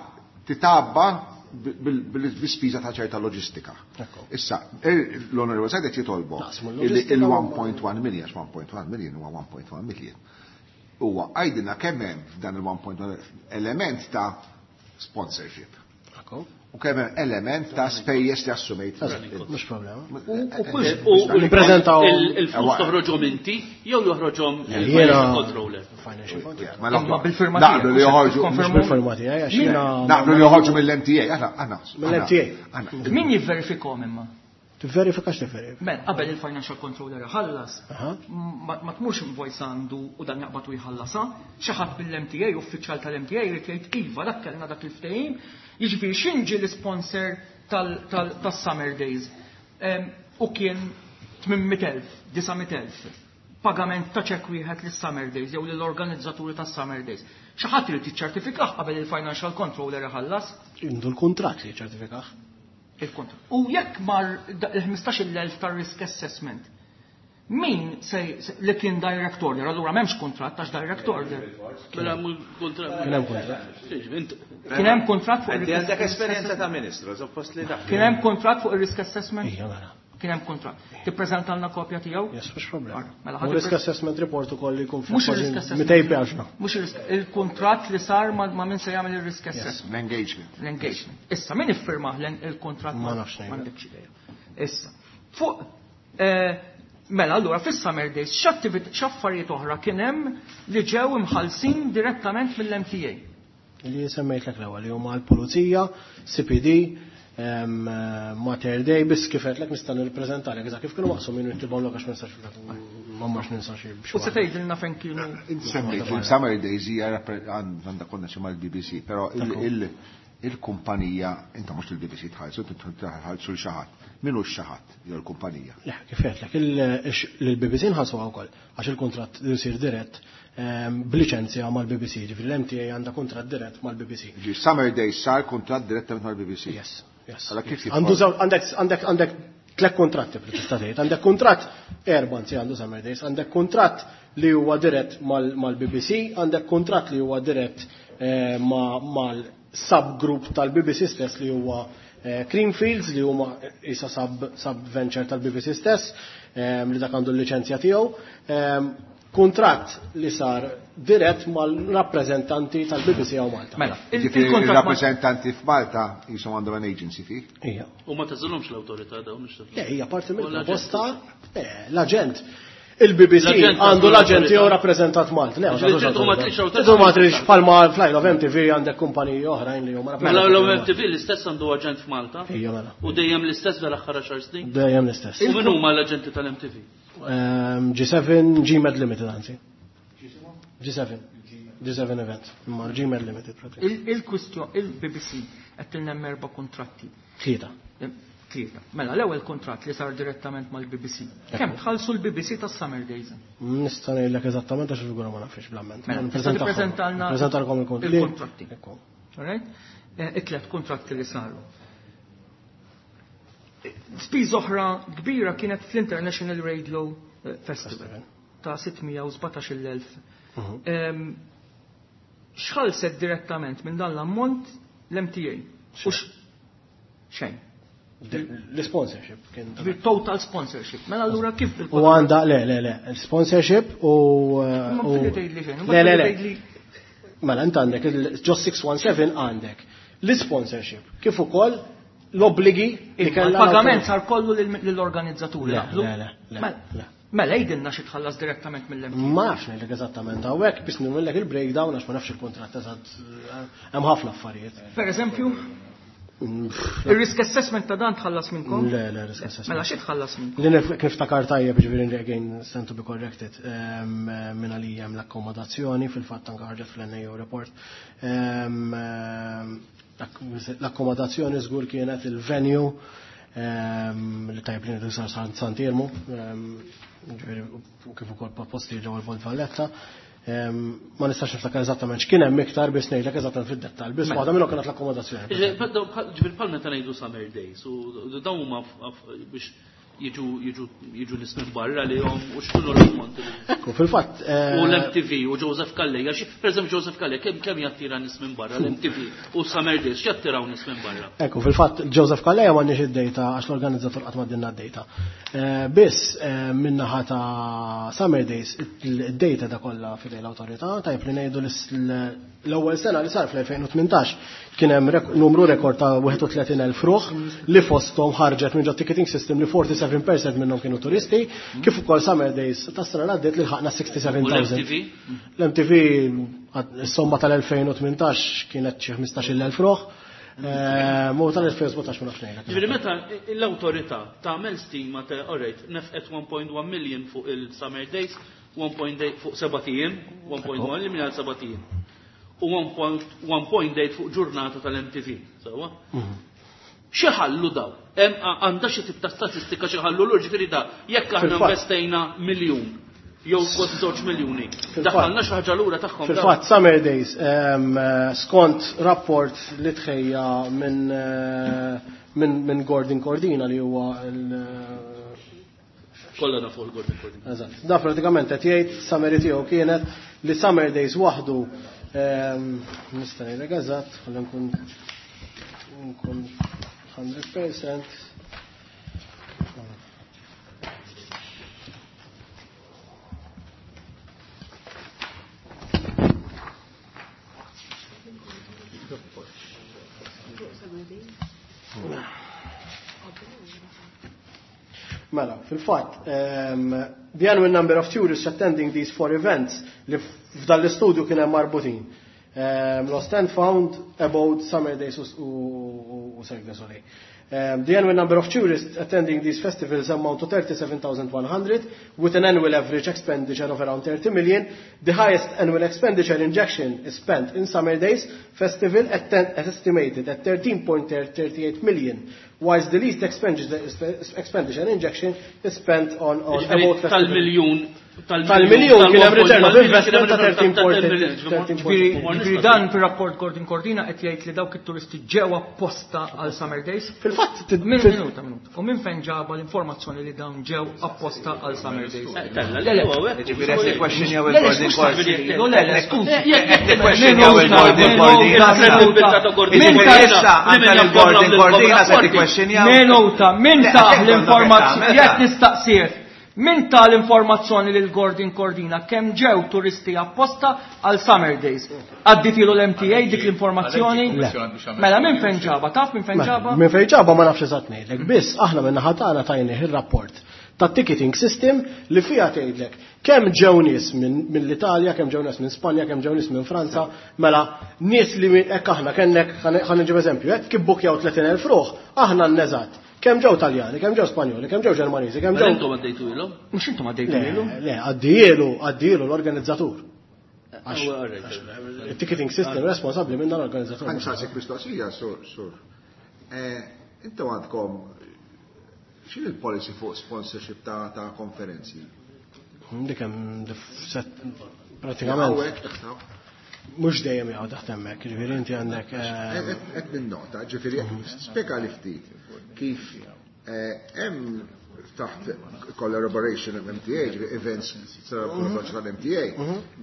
titabba bil-spiża ta' ċerta loġistika. Ekko. Issa, l-Onorevole Said qed jitolbu Naqsmu illi l-loġistika il-1.1 million, għax 1.1 million huwa 1.1 million. Huwa għajdilna kemm hemm f'dan il-1.1 element ta' sponsorship. Ekko. U kemm hemm element ta' spejjeż li assumejt. Mhux problema. U Nippreżentaw- il-flus toħroġhom inti jew joħroġhom Jiena- il-financial controller. Financial control. Mela, Imma bil-firma Naqblu li tiegħek, joħorġu. konfermu- Mhux bil-firma tiegħi għax jiena Naqblu li joħorġu mill-MTA. Aħna, aħna. Mill-MTA. Aħna. Min jivverifikhom imma? Tivverifika x'tivverifika. Mela, qabel il-financial controller ħallas, Aha. ma tmurx invoice għandu u dan jaqbad u jħallasha, xi ħadd mill-MTA, uffiċjal tal-MTA jrid jgħid iva dak kellna dak il-ftehim, jiġifieri x'inġi l-sponsor tas-Summer Days. U kien 800,000, 900,000 pagament ta' ċek wieħed lis-Summer Days jew lill-organizzaturi tas-Summer Days. Xi ħadd irid jiċċertifikah qabel il-financial controller iħallas Indu l-kuntratt li ċertifikah. il-kontra. U jekk mar il-15,000 ta' risk assessment, min se li kien direct order, allura m'hemmx kuntratt għax direct order. Mela mhu kontra. Kien hemm kuntratt. Int Kien hemm kuntratt fuq Inti il-risk għandek esperjenza ta' ministru, suppost li taf. Kien hemm kuntratt fuq il-risk assessment? Ija mela. Kien hemm kuntratt. Tippreżentalna kopja tiegħu? Yes, mhux problema. Mela, U ħadd risk assessment report ukoll li jkun Mhux fih il-risk kważi assessment. 200 paġna. Mhux il-risk, il-kuntratt li sar ma min se jagħmel il-risk assessment. L-engagement. L-engagement. Issa, min iffirmah il-kuntratt? Ma nafx ngħidlek. M'għandekx idea. Issa, fuq, mela, allura, fis-Summer Days, x'affarijiet oħra kien hemm li ġew imħallsin direttament mill-MTA? Li semmejtlek l-ewwel li huma l-Pulizija, CPD, Mater Dei, biss kif għedtlek nista' nirrappreżentalek eżatt kif kienu maqsumin u niktibhomlok għax ma nistax ma mmorx ninsa xi U se tgħidilna fejn kienu. Inti semmejt li Summer Days hija għandha konnessjoni mal-BBC, però il-kumpanija, inta mhux il-BBC tħallsu, tħallsu l xi ħadd. Min hu x-xi ħadd jew il-kumpanija? Le, kif għedtlek, il-BBC nħallsuha wkoll għax il-kuntratt jsir dirett b'liċenzja mal-BBC, ġifieri l-MTA għandha kuntratt dirett mal-BBC. Ġi Summer Days sar kuntratt direttament mal-BBC. Yes, yes. Allora kif jidħol? Għandu żewġ, għandek, għandek, għandek tliet kuntratti bli tista' tgħid. Għandek kuntratt erba' anzi għandu Summer Days, għandek kuntratt li huwa dirett mal-BBC, għandek kuntratt li huwa dirett mal-subgroup tal-BBC stess li huwa Creamfields li huma isa sub-venture tal-BBC stess, li dak għandu l-liċenzja tiegħu. Kuntratt li sar dirett mal-rappreżentanti tal-BBC hawn Malta. Mela, Ġifieri il-kuntratt ma- il-rappreżentanti f'Malta jisom għandhom an agency fee? Ija. U ma tażilhomx l-awtorità dawn mhux Le, hija parti U l-aġent. mill-proposta, l-aġent. Il-BBC L-aġent għandu għandu l-aġent l-awtorità. jew rappreżentat Malta. Le, ma Ġifieri tagħtux tu ma awtorità. trix awtorità. Tu ma trix bħalma fl-Isle of MTV għandek kumpaniji oħrajn li huma Mela rappreżentati l Malta. MTV l-istess għandu aġent f'Malta. Ija, mela. U dejjem l-istess dal-aħħar 10 snin. Dejjem l-istess. U min huma l-aġenti tal-MTV? G7, GMed Limited, anzi. G7. G7 Event. Imma GMed Limited, pratikament. Il-kwistjoni, il-BBC qed tilna hemm erba' kuntratti. Tlieta. Tlieta. Mela, l-ewwel kuntratt li sar direttament mal-BBC. Kemm tħallsu l-BBC tas-Summer Days? Nista' ngħidlek eżattament għax il-figura ma nafx bl-amment. Mela, Nippreżentahom. tippreżentalna Nippreżentalkom il-kontratti. il-kontratti. Ekku. All right? It-tliet kuntratti li saru. Spiż oħra kbira kienet fl-International Radio Festival ta' 617,000. X'ħallset direttament minn dan l-ammont l-MTA? U xejn. L-sponsorship kien ta' Ġifieri total sponsorship. Mela allura kif U il- għanda, le, le, le, sponsorship u, Ma u- fili tgħidli xejn, Le, le, le. tgħidli Mela, int għandek ġo 617 għandek l-sponsorship, kif ukoll l-obbligi li Imma kellha l-pagament l-awtorità. sar kollu lill-organizzaturi, Le, naqblu? le, le, le, Mela, le. mela jgħidilna xi tħallas direttament mill-MTA. Ma nafx ngħidlek eżattament hawnhekk biss nagħmellek il-breakdown għax ma nafx il-kuntratt eżatt, hemm ħafna affarijiet. Per eżempju, il-risk assessment ta' dan tħallas minnkom? Le, le, risk assessment. Mela xi tħallas minnkom? Li kif takar tajjeb, ġifieri again stand to be corrected, minn għalija hemm l-akkomodazzjoni, fil-fatt anke ħarġet fl-NAO report. L-akkomodazzjoni żgur kienet il-venue, li tajjeb li ngħidu sar Sant'Iermu, ġifieri u kif ukoll posti ġewwa l-Belt Valletta. Ma nistax niftakar eżattament x'kien hemm iktar biss ngħidlek eżattament fid-dettall, biss waħda minnhom kienet l-akkomodazzjoni. Ġifieri bħal meta ngħidu Summer Days, u dawn huma biex jiġu nies minn barra li jom u x'kienu l-ammonti li- Ekku, fil-fatt, U l-MTV u Joseph Calleja, per eżempju Joseph Calleja, kemm jattira nies minn barra l-MTV u Summer Days, x'jattiraw nies minn barra? Ekku, fil-fatt Joseph Calleja m'għandniex id-data għax l-organizzatur qatt m'għaddilna d-data. Biss min-naħa ta' Summer Days id-data da kollha fidej l-awtorità, tajjeb li ngħidu l-ewwel sena li sar fl-2018 kien hemm numru rekord ta' 31,000 ruħ li fosthom ħarġet minn ġo ticketing system li 47% minnhom kienu turisti, kif ukoll Summer Days tas-sena li għaddiet li lħaqna 67,000. U l-MTV? L-MTV is-somma tal-2018 kienet xi 15,000 ruħ. Mu tal-2017 ma nafx ngħidlek. Ġifieri meta l-awtorità tagħmel stima ta' all right, nefqet 1.1 million fuq il-Summer Days, 1.8 fuq seba' ijiem, 1.1 million għal seba' ijiem. U 1.8 fuq ġurnata tal-MTV, sewwa? Xi ħallu daw? Hemm għandha xi tip ta' statistika xi ħallu lur, ġifieri da jekk aħna Fil-fatt. investejna miljun jew kważi żewġ miljuni, Fil-fatt. daħħalna xi ħaġa lura tagħhom daw. Fil-fatt, Summer Days, skont rapport li tħejja minn Gordon Cordina li huwa il- Kollha nafu l-Gordon Cordina. Eżatt. Da pratikament qed jgħid summary tiegħu kienet li Summer Days waħdu, nista' ngħidlek eżatt, ħalli nkun 100%. Mela, fil-fatt, the annual number of tourists attending these four events li f'dan l-istudju kien hemm marbutin. Lost and Found, Abode, Summer Days u Cirque du Soleil. The annual number of tourists attending these festivals amount to 37,100, with an annual average expenditure of around 30 million. The highest annual expenditure injection is spent in Summer Days Festival at estimated at 13.38 million, whilst the least expenditure injection is spent on Abode Festival. Tal-miljun Tal-miljun kien hemm return of investment ta' 13.4. Ġifieri dan fir-rapport Gordon Cordina qed jgħid li dawk it-turisti ġew apposta għal Summer Days. Fil-fatt Min minuta minuta. U minn fejn ġaba l-informazzjoni li dawn ġew apposta għal Summer Days? Tella li huwa hekk. Ġifieri qed nikkwestjonjaw Le, le, il-Gordon skuża, Cordina. le, le, skuża. Qed nikkwestjonjaw il-Gordon Cordina. Min ta' Issa anke l-Gordon Cordina se tikkwestjonjaw. Minuta, min Le, ta' għax hekk l-informazzjoni, għandna jekk nistaqsih, min ta' l-informazzjoni lil Gordon Cordina kemm ġew turisti apposta għal Summer Days? Għadditilu l-MTA dik l-informazzjoni? Mela minn fejn ġaba, taf minn fejn ġaba? Minn fejn ġaba ma nafx eżatt ngħidlek, biss aħna minn naħa tagħna tajnih ir-rapport ta' ticketing system li fiha tgħidlek kemm ġew nies mill-Italja, kemm ġew nies minn Spanja, kemm ġew nies minn Franza, mela nies li hekk aħna kellek ħa nġib eżempju, hekk kif bukjaw 30,000 ruħ, aħna nneżatt. Kemm ġew Taljani, kemm ġew Spanjoli, kemm ġew Ġermaniżi, kemm Mela ġew. intom għaddejtu ilhom? Mhux intom għaddejtu ilu? Le, le, għaddielu, għaddielu l-organizzatur. Għax Oh, all right. il-ticketing system responsabbli minn dan l-organizzatur. Għan saqsik mistoqsija, sur, sur. Intom għandkom x'in il-policy fuq sponsorship ta' konferenzi? Dik hemm set pratikament Hawnhekk taħtaw. mhux dejjem jgħu taħt hemmhekk, ġifieri inti għandek Qed ninnota, ġifieri spjega li ftit kif hemm taħt collaboration MTA, ġifieri events collaboration tal-MTA,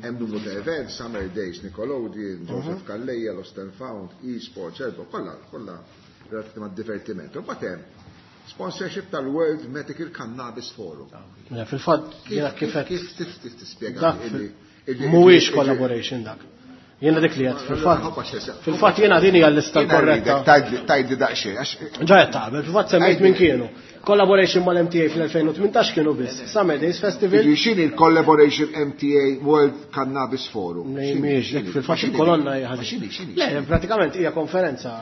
hemm numru ta' events, Summer Days, Nickelodeon, Joseph Calleja, Lost and Found, eSports, Elbow, kollha kollha relatati ma' divertiment. U mbagħad hemm sponsorship tal-World Medical Cannabis Forum. Le, fil-fatt jiena kif qed Kif kif tispjega dak illi mhuwiex collaboration dak. Jiena dik li qed fil-fatt. Fil-fatt jiena din hija l-lista korretta. Tajdi daqsxejn, għax Ġa qed taqbel, fil-fatt semmejt min kienu. Collaboration mal-MTA fl-2018 kienu biss. Summer Days Festival. Jiġifieri x'inhi l-collaboration MTA World Cannabis Forum? Mhijiex, dik fil-fatt il-kolonna hija ħażin. X'inhi, x'inhi? Le, pratikament hija konferenza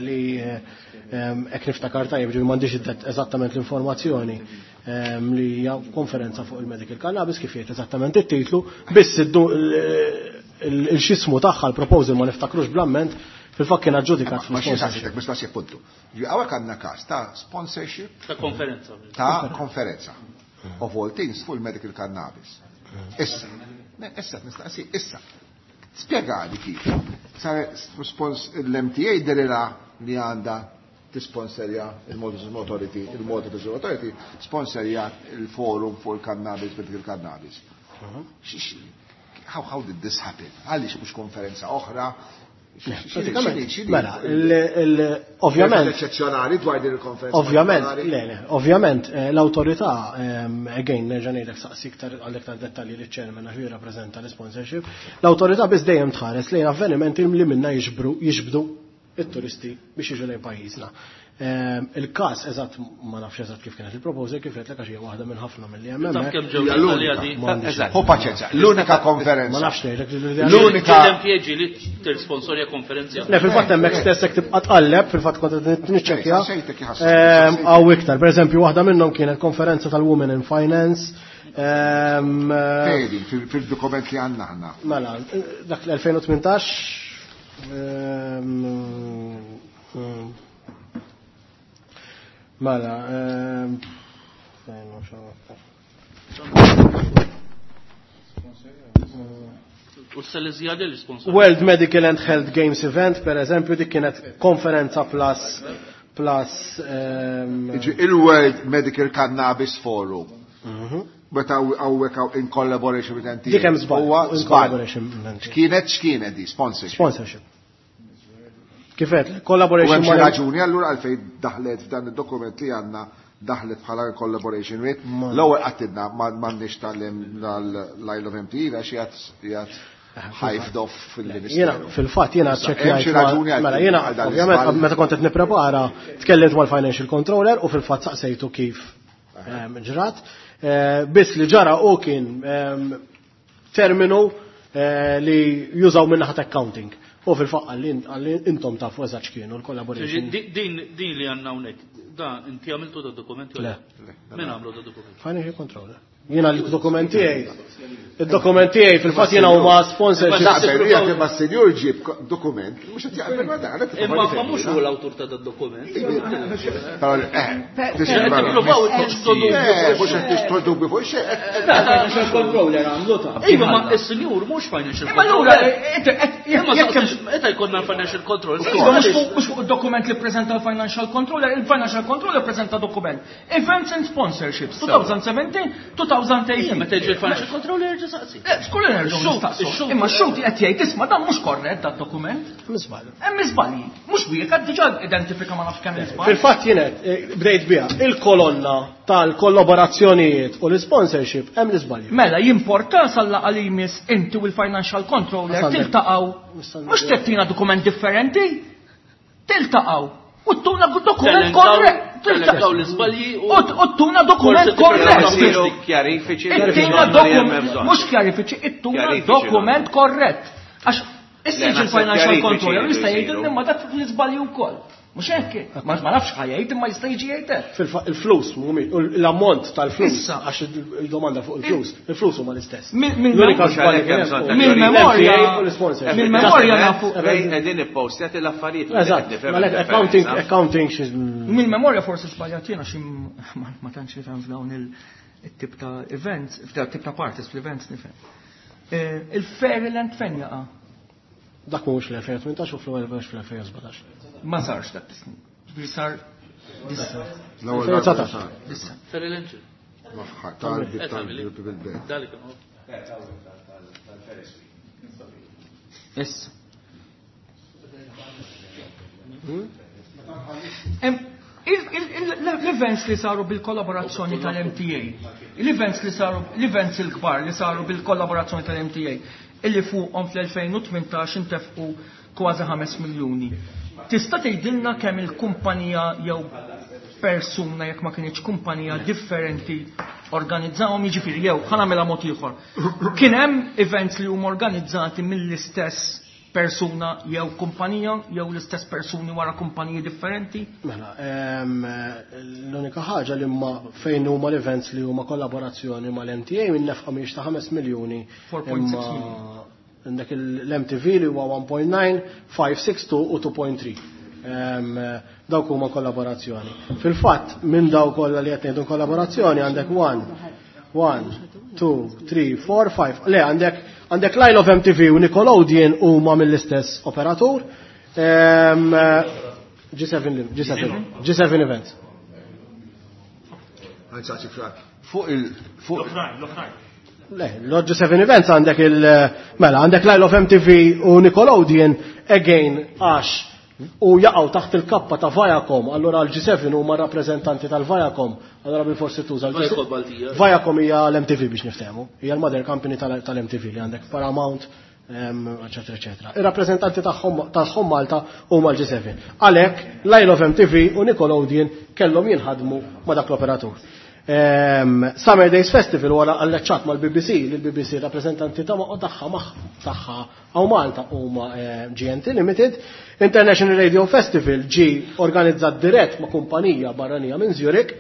li hekk niftakar tajjeb ġifieri m'għandix eżattament l-informazzjoni li hija konferenza fuq il-medical cannabis kif jgħid eżattament it-titlu, biss il-xismu tagħha l-proposal ma niftakrux bl-amment fil-fatt kien aġġudikat Ma xi fl-sponsorship. saqsitek mistoqsija puntu. Ġi hawnhekk għandna każ ta' sponsorship Ta' konferenza. ta' konferenza of all things fuq il-medical cannabis. Issa, issa nistaqsi, issa. Spjegali kif. Sar spons l-MTA derira li għandha tisponsorja il-Malta Tourism Authority, il-Malta Tourism Authority sponsorja il-forum fuq il-cannabis, medical cannabis. How did this happen? Għaliex mhux konferenza oħra? Pratikament, mela, ovvjament, Eċċezzjonali dwar din il-konferenza. Ovvjament, partikolari? le, le, ovvjament, l-autorità, again, nerġa' ngħidlek saqsi iktar għal iktar dettalji li ċ-chairman għax jirrappreżenta l-sponsorship, l-autorità biss dejjem tħares lejn avvenimenti li minna jiġbdu it-turisti biex jiġu lejn pajjiżna. Il-każ eżatt ma nafx eżatt kif kienet il-proposal kif qed għax hija waħda minn ħafna milli hemm Taf hemmhekk. kemm ġew Hija l-Italja l-unika. di? M'għandix. Eżatt. Hu paċenza, l-unika konferenza. Ma nafx ngħidlek li L-unika L-MTA ġieli tirsponsorja konferenzi. Le, fil-fatt hemmhekk stess jekk tibqa' tqalleb, fil-fatt kont qed niċċekkja. Sejtek jħasseb. Hawn iktar, pereżempju waħda minnhom kienet konferenza tal-Women in Finance. Fejdi, fil-dokument li għandna aħna. Mela, dak l-2018 mela, fejn mhux hawn. U s-Salesjadi l-sponsor. World Medical and Health Games Event, per eżempju, dik kienet konferenza plus Iġi, Il-World Medical Cannabis Forum. Meta hawnhekk hawn in collaboration with MTA. Dik hemm żball, Huwa in żball. collaboration with MTA. X'kienet di sponsorship. Sponsorship. Kifet, U collaboration hemm xi mal- raġuni allura għalfejn daħlet f'dan id-dokument li għandna daħlet bħala collaboration with. L-ewwel qattidna m'għandniex tal-Isle of MT għax jgħat ħajfdof fil-Ministeru. Jena, fil-fatt, jena Issa, hemm ċekjajt. xi raġuni għal- Mela, jena, għal dan ovvjament, l-iżball? meta kont qed nipprepara, tkellimt mal-financial controller u fil-fatt saqsejtu kif ġrat. Biss li ġara u kien terminu li jużaw minn naħa accounting. U fil-faqqa li intom tafu eżatt x'kienu l-collaboration. Din li għandna hawnhekk, da inti għamiltu da dokumenti? Le. Min għamlu da dokumenti? Financial controller. Jiena l-dokumenti tiegħi. Id-dokumenti tiegħi fil-fatt jiena huma sponsorship. Naqbel, jekk imma s-senjur ġib dokument, mhux qed jaqbel ma dan. Imma ma mhux hu l-awtur ta' dat-dokument. Tippruvaw Mhux qed tixtru dubju fuq xejn. Financial controller għamlu ta' Iva, ma s-senjur mhux financial controller. Imma meta jkollna l-financial controller. Mhux fuq id-dokument li ppreżenta l-financial controller, il-financial controller ppreżenta dokument. Events and sponsorships 2017, 2018. Meta jiġi l-financial controller jerġa' saqsi. Skull nerġgħu nistaqsu. Imma x-xhud qed jgħid isma' dan mhux korrett dat-dokument. Miżball. Hemm iżbalji. Mhux wieħed diġà identifika ma nafx kemm iżball. Fil-fatt jien bdejt biha il-kolonna tal-kollaborazzjonijiet u l-sponsorship hemm l-iżbalji. Mela jimporta sal-laqgħa li jmiss inti u l-financial controller tiltaqgħu. Mhux tettina dokument differenti. Tiltaqgħu. U tuna dokument korrett. Tiltaqgħu l-iżbalji u tuna dokument korrett. Kjarifiċi. Ittuna dokument, mhux kjarifiċi, ittuna dokument korrett. Għax issa jiġi l-financial controller jista' jgħidilna imma dak l-iżbalji wkoll. Mhux hekk, ma nafx ħa jgħid imma jista' jiġi jgħid hekk. Il-flus mhumiex, l-ammont tal-flus, għax il-domanda fuq il-flus, il-flus huma l-istess. L-unika żball li kien hemm Mill-memorja u l-sponsor. Mill-memorja nafu. Qegħdin ippostjat l-affarijiet. Eżatt, accounting, accounting xi Mill-memorja forsi żbaljat jiena xi ma tantx nifhem f'dawn il-tip ta' events, f'dawn tip ta' parties fl-events nifhem. Il-Fairyland fejn jaqa'? Dak mhuwiex fl-2018 u fl-2017. Ma sarx dak is-snin. Ġifieri sar L-ewwel darba sar. Issa. Fairyland. Tal-bil-belt. Issa. L-events li saru bil-kollaborazzjoni tal-MTA, l-events li saru, l-events il-kbar li saru bil-kollaborazzjoni tal-MTA, illi fuqhom fl-2018 intefqu kważi 5 miljuni. Tista' tgħidilna kemm il-kumpanija jew persuna jekk ma kienx kumpanija differenti organizzawhom, jiġifieri jew ħa nagħmilha mod ieħor. Kien hemm events li huma organizzati mill-istess persuna jew kumpanija jew l-istess persuni wara kumpaniji differenti? Mela, l-unika ħaġa li ma fejn huma l-events li huma kollaborazzjoni mal-MTA minn nefqa mhijiex ta' 5 miljuni. 4.6 miljuni. Għandek l-MTV li huwa 1.9, 562 u 2.3. Dawk huma kollaborazzjoni. Fil-fatt, minn dawk kollha li qed ngħidu kollaborazzjoni għandek 1, 1, 2, 3, 4, 5. Le, għandek Line of MTV u Nickelodeon huma mill-istess operatur. G7, G7, G7 Events. Fuq il, fuq L-oħrajn, l-oħrajn. Le, l-G7 Events għandek il, mela, għandek Line of MTV u Nickelodeon, again, għax u jaqgħu taħt il-kappa ta' Viacom, allura l-G7 huma rappreżentanti tal-Viacom, allura bil-forsi tuża l-G7. Viacom Baltija. Viacom hija l-MTV biex niftehmu, hija l-mother company tal-MTV li għandek Paramount, eccetera, eccetera. Ir-rappreżentanti tagħhom Malta huma l-G7. Għalhekk Line of MTV u Nickelodeon kellhom jinħadmu ma' dak l-operatur. Summer Days Festival wara alleċċat mal-BBC, li l-BBC rappreżentanti ta' tagħha tagħha hawn Malta huma GNT Limited. International Radio Festival ġi organizzat dirett ma' kumpanija barranija minn Zurich.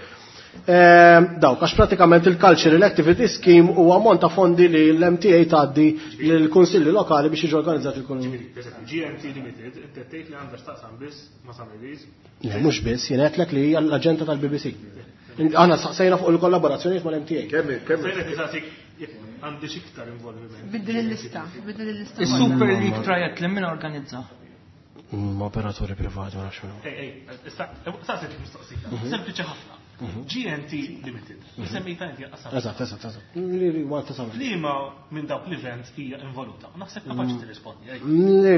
Dawk, għax pratikament il-Cultural Activity Scheme huwa ammont ta' fondi li l-MTA tgħaddi lill-kunsilli lokali biex jiġu organizzati il-kun. GNT Limited, inti tgħid li għandha x'taqsam biss ma' Summer Days? Le, mhux biss, jien għedtlek li hija l-aġenda tal-BBC. Aħna saqsejna fuq il-kollaborazzjonijiet mal-MTA. Kemm, kemm? Sejna tisaqsik jekk għandi x'iktar involviment. Biddel il-lista, biddel il-lista. Is-Super League Triathlon min organizza? Operaturi privati, ma nafx minnu. Ej, ej, issa, saqsejt mistoqsija. Sempliċi ħafna. GNT Limited. Semmejta inti qasam. Eżatt, eżatt, eżatt. Li li Malta Summer. Liema minn dawk l-events hija involuta. Naħseb kapaċi tirrispondi, ej.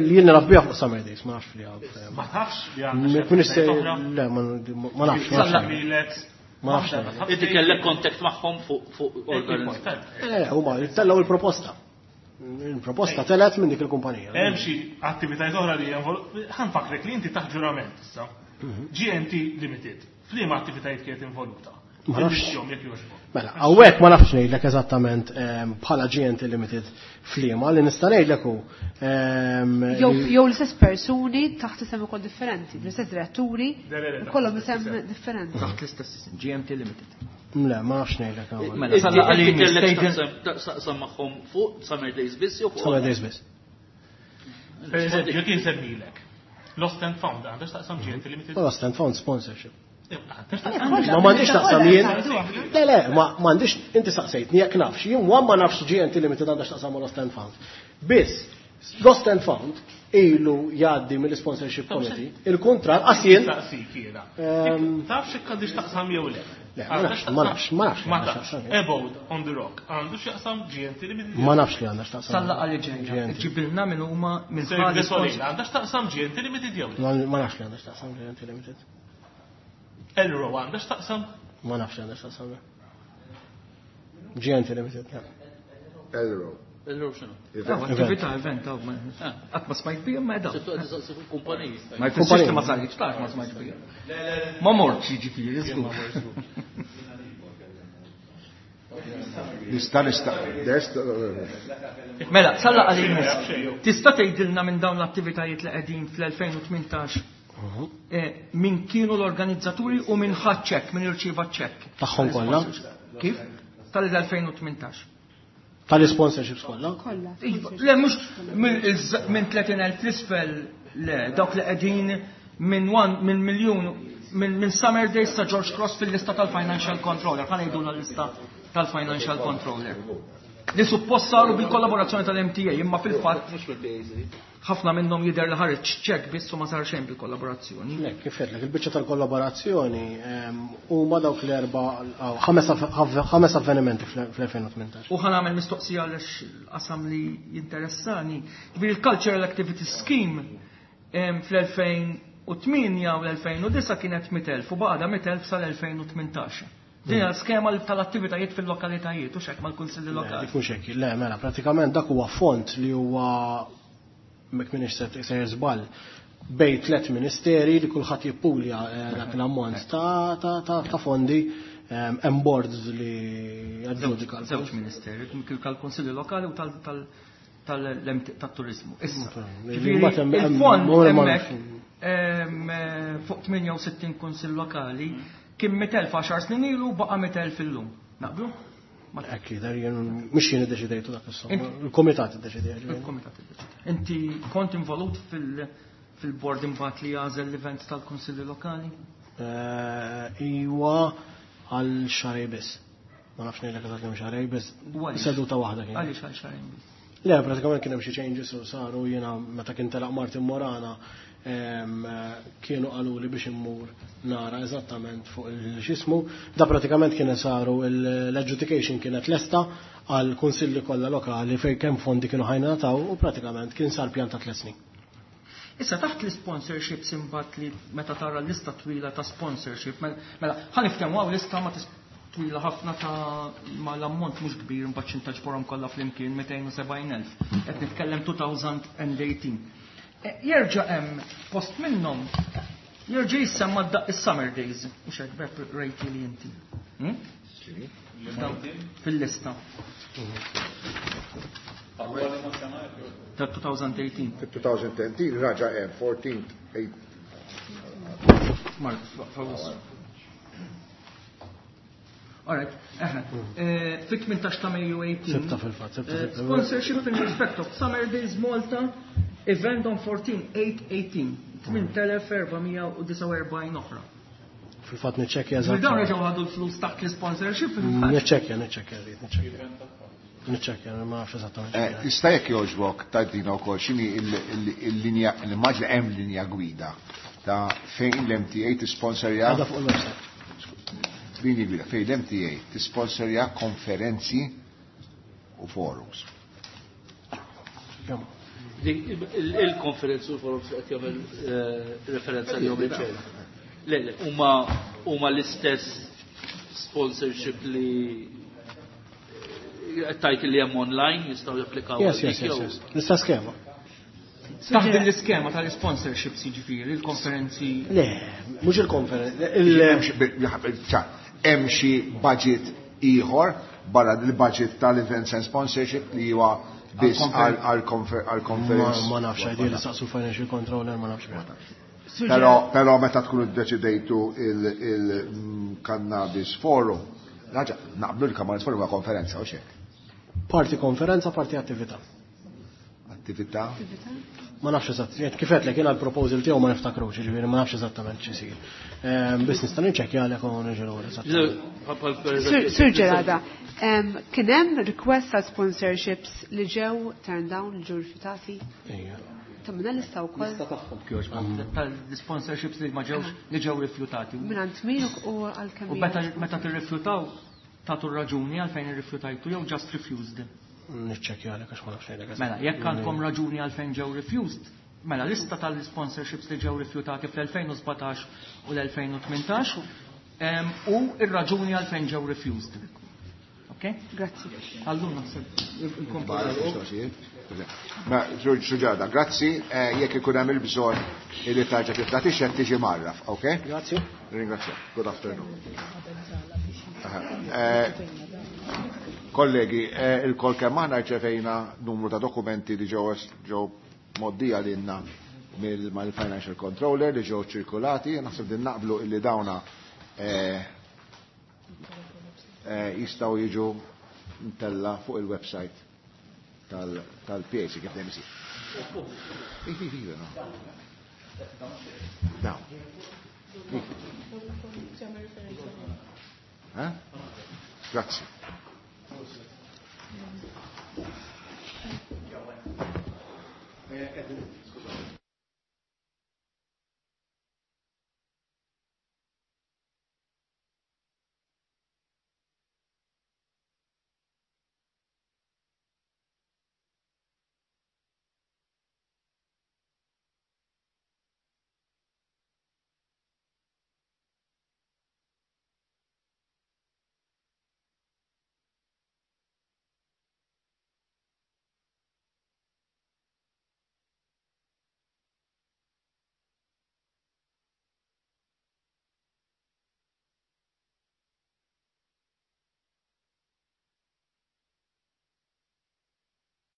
Li jien naf biha fuq Summer Days, ma nafx li għad. Ma tafx li għandha xi Minix se- oħra? Le, ma nafx, ma nafx. Salla Ma nafx. Inti kellek contact magħhom fuq organizzazzjoni. Le, huma tellgħu il-proposta. Il-proposta telgħet minn dik il-kumpanija. Hemm xi attivitajiet oħra li ħanfakrek li inti taħt ġurament issa. GNT Limited. F'liema attivitajiet kienet involuta? Ma nafx. Illistjahom jekk jogħġbok. Mela, hawnhekk ma nafx ngħidlek eżattament bħala GNT Limited f'liema li nista' ngħidlek hu. Jew l-istess persuni taħt isem ukoll differenti, l-istess diretturi, Le, le, le, taħt kollhom l-istess isem isem. differenti. Taħt l-istess isem, GMT Limited. Le, ma nafx ngħidlek hawnhekk. Mela, salla Inti għalini, kellek stejden- taqsam magħhom fuq Summer Days biss jew fuq Summer Days biss. Per eżempju, jekk insemmilek. Lost and Found għandha x'taqsam GNT Limited. Lost and Found sponsorship. Għandha x'taqsam. Ma m'għandix taqsam jien. Le, le, ma m'għandix inti saqsejtni jekk nafx. Jien wa ma nafx GNT Limited għandha x'taqsam ma' Lost and Found. Biss, Lost and Found ilu jgħaddi mill-sponsorship committee. Il-kuntratt qas jien Saqsik jiena. Taf x'hekk għandix taqsam jew le? Le, ma nafx, ma nafx, ma nafx Ma għandha tafx. x'taqsam. Abode on the Rock għandu x'jaqsam GNT Limited. Ma nafx li għandha x'taqsam. Salla għalli ġejja. GNT. Ġibilna minn huma minn Cirque ħali du Soleil għandha x'taqsam GNT Limited jew le? Ma nafx li għandha x'taqsam GNT Limited. Elro għandha x'taqsam? Ma nafx li għandha x'taqsam. GNT Limited, le. Elro. Elro x'inhu? Attività, event, aw, qatt ma smajt bija, ma edaw. Se tuqgħod tistaqsi fuq kumpaniji. Ma jfissirx li ma saritx, tax ma smajt bija. Ma mortx jiġifieri, żgur. Nista' nista' nista' Mela, salla għalli Tista' tgħidilna minn dawn l-attivitajiet li qegħdin fl-2018 min kienu l-organizzaturi u min ħadd ċekk, min irċieva ċekk. Tagħhom kollha? Kif? Tal-2018. Tal-sponsorships kollha? Kollha. Iva, Le, mhux minn 30,000 l-isfel, le, dawk li qegħdin minn one, minn miljun, minn Summer Days sa George Cross fil-lista tal-Financial Controller, ħa ngħidu l-lista tal-Financial Controller. Li suppost saru bil-kollaborazzjoni tal-MTA, imma fil-fatt ħafna minnhom jidher li ħareġ ċekk biss u ma sar xejn bil-kollaborazzjoni. Le, kif għedtlek, il-biċċa tal-kollaborazzjoni huma dawk l-erba' aw, ħames avvenimenti fl-2018. U ħa nagħmel mistoqsija għaliex qasam li jinteressani. Ġifieri il-Cultural Activity Scheme fl-2008 u l-2009 kienet 100,000 u baqgħda 100,000 sal-2018. Din hija skema tal-attivitajiet fil-lokalitajiet u x'hekk mal-kunsilli lokali. Dik mhux hekk, le, mela, pratikament dak huwa font li huwa mek minix se sejjer żball bej tliet ministeri li kulħadd jippulja dak l-ammont ta' fondi hemm boards li jaġġudika l-fond. Żewġ ministeri, tal-kunsilli lokali u tat-turizmu. Issa, Li ġifieri, mbagħad hemm- hemm- il-fond ma- ma- hemmhekk fuq 68 kunsill lokali kien 100,000 10 snin ilu baqa' 100,000 illum. Naqblu? Hekk jidher jien mhux jien iddeċidejtu dak is-somma, Inti- il-kumitat iddeċidejtu. Il-kumitat iddeċida. Inti kont involut fil-board imbagħad li jagħżel l-events tal-kunsilli lokali? Iwa għal xarej biss. Ma nafx ngħidlek eżatt kemm xarej biss. U għaliex? Seduta waħda kien. Għaliex għal xarejn biss? Le, pratikament kien hemm xi changes u saru jiena meta kien telaq Martin Morana kienu qaluli biex immur nara eżattament fuq il-xismu. Da pratikament kien saru l-adjudication kienet lesta għal kunsilli kollha lokali fejn kemm fondi kienu ħajnataw u pratikament kien sar pjan ta' tliet snin. Issa taħt l-sponsorships imbagħad li meta tara l-lista twila ta' sponsorship, mela ħa niftehmu hawn lista ma twila ħafna ta' ma l-ammont mhux kbir imbagħad xi ntaġborhom kollha flimkien 270,000. Qed nitkellem 2018. Jerġa' hemm post minnhom jerġa' jissemma is-Summer Days, mhux hekk Beb rejti li inti. Fil-lista. Ta' 2018. Fit-2018 raġa' hemm 14 8 Mark, fawus. All right, eħe. Fit-18 ta' Mejju 18. Sibta fil-fatt, sibta fil-fatt. Sponsorship in respect of Summer Days Malta, event on 14-8-18, 8449 oħra. Fil-fatt niċċekkja Ġifieri Dawn eżatt. reġgħu ħadu l-flus taħt l-sponsorship fil-fatt. Niċċekkja, niċċekkja, rrid, niċċekkja. Niċċekkja, ma nafx eżattament. Tista' jekk jogħġbok tgħidilna wkoll x'inhi il-linja, l-immaġna hemm linja gwida ta' fejn l-MTA tisponsorja. Għadha fuq il-website. Linja gwida fejn l-MTA tisponsorja konferenzi u forums. Kemm? Il-konferenzi u forums qed jagħmel referenza li jom il-ċer. Le, le, huma l-istess sponsorship li tajt li hemm online jistgħu japplikaw. Yes, yes, yes, yes. L-istess skema. Taħt din l-iskema tal-sponsorships jiġifieri, il-konferenzi. Le, mhux il-konferenzi. Hemm xi budget ieħor barra l-budget tal-events and sponsorship li huwa biss għal-conference. Ma nafx għajdi li saqsu financial controller, ma nafx. Però meta tkunu ddeċidejtu il-Cannabis Forum, raġa, naqblu l-Cannabis Forum huwa konferenza u xek. Parti konferenza, parti attività. Attività? Ma nafx eżatt, kif qed jiena l-proposal tiegħu ma niftakrux, jiġifieri ma nafx eżattament x'isir. Biss nista' niċċekkja għalek u niġi lura eżattament. Sur Gerada, kien hemm request għal sponsorships li ġew turned down, li ġew rifjutati? Ejja. Tammina lista wkoll. Lista tagħhom kjoġ, tal-sponsorships li ma ġewx li ġew rifjutati. Mingħand min u għal kemm. U meta tirrifjutaw tagħtu raġuni għalfejn irrifjutajtu jew just refused. Niċċekkja għalek għax ma nafx ngħidlek. Mela, jekk għandkom raġuni għalfejn ġew refused, mela lista tal-sponsorships li ġew rifjutati fl-2017 u l-2018 u ir-raġuni għalfejn ġew refused. Ok? Grazzi. Allura naħseb Ma, Suġġada, grazzi, jekk ikun hemm il-bżonn li tarġa' tibda tixhed tiġi marraf, ok? Grazzi. Ringrazzja. Good afternoon. Kollegi, il-kol kemm aħna rċevejna numru ta' dokumenti li ġew moddija lilna mal-Financial Controller li ġew ċirkulati, naħseb din naqblu illi dawna jistgħu jiġu mtella fuq il-website tal-PAC kif dejjem isir. Ivi, ivi, no. Dawn. Eh? Grazzi.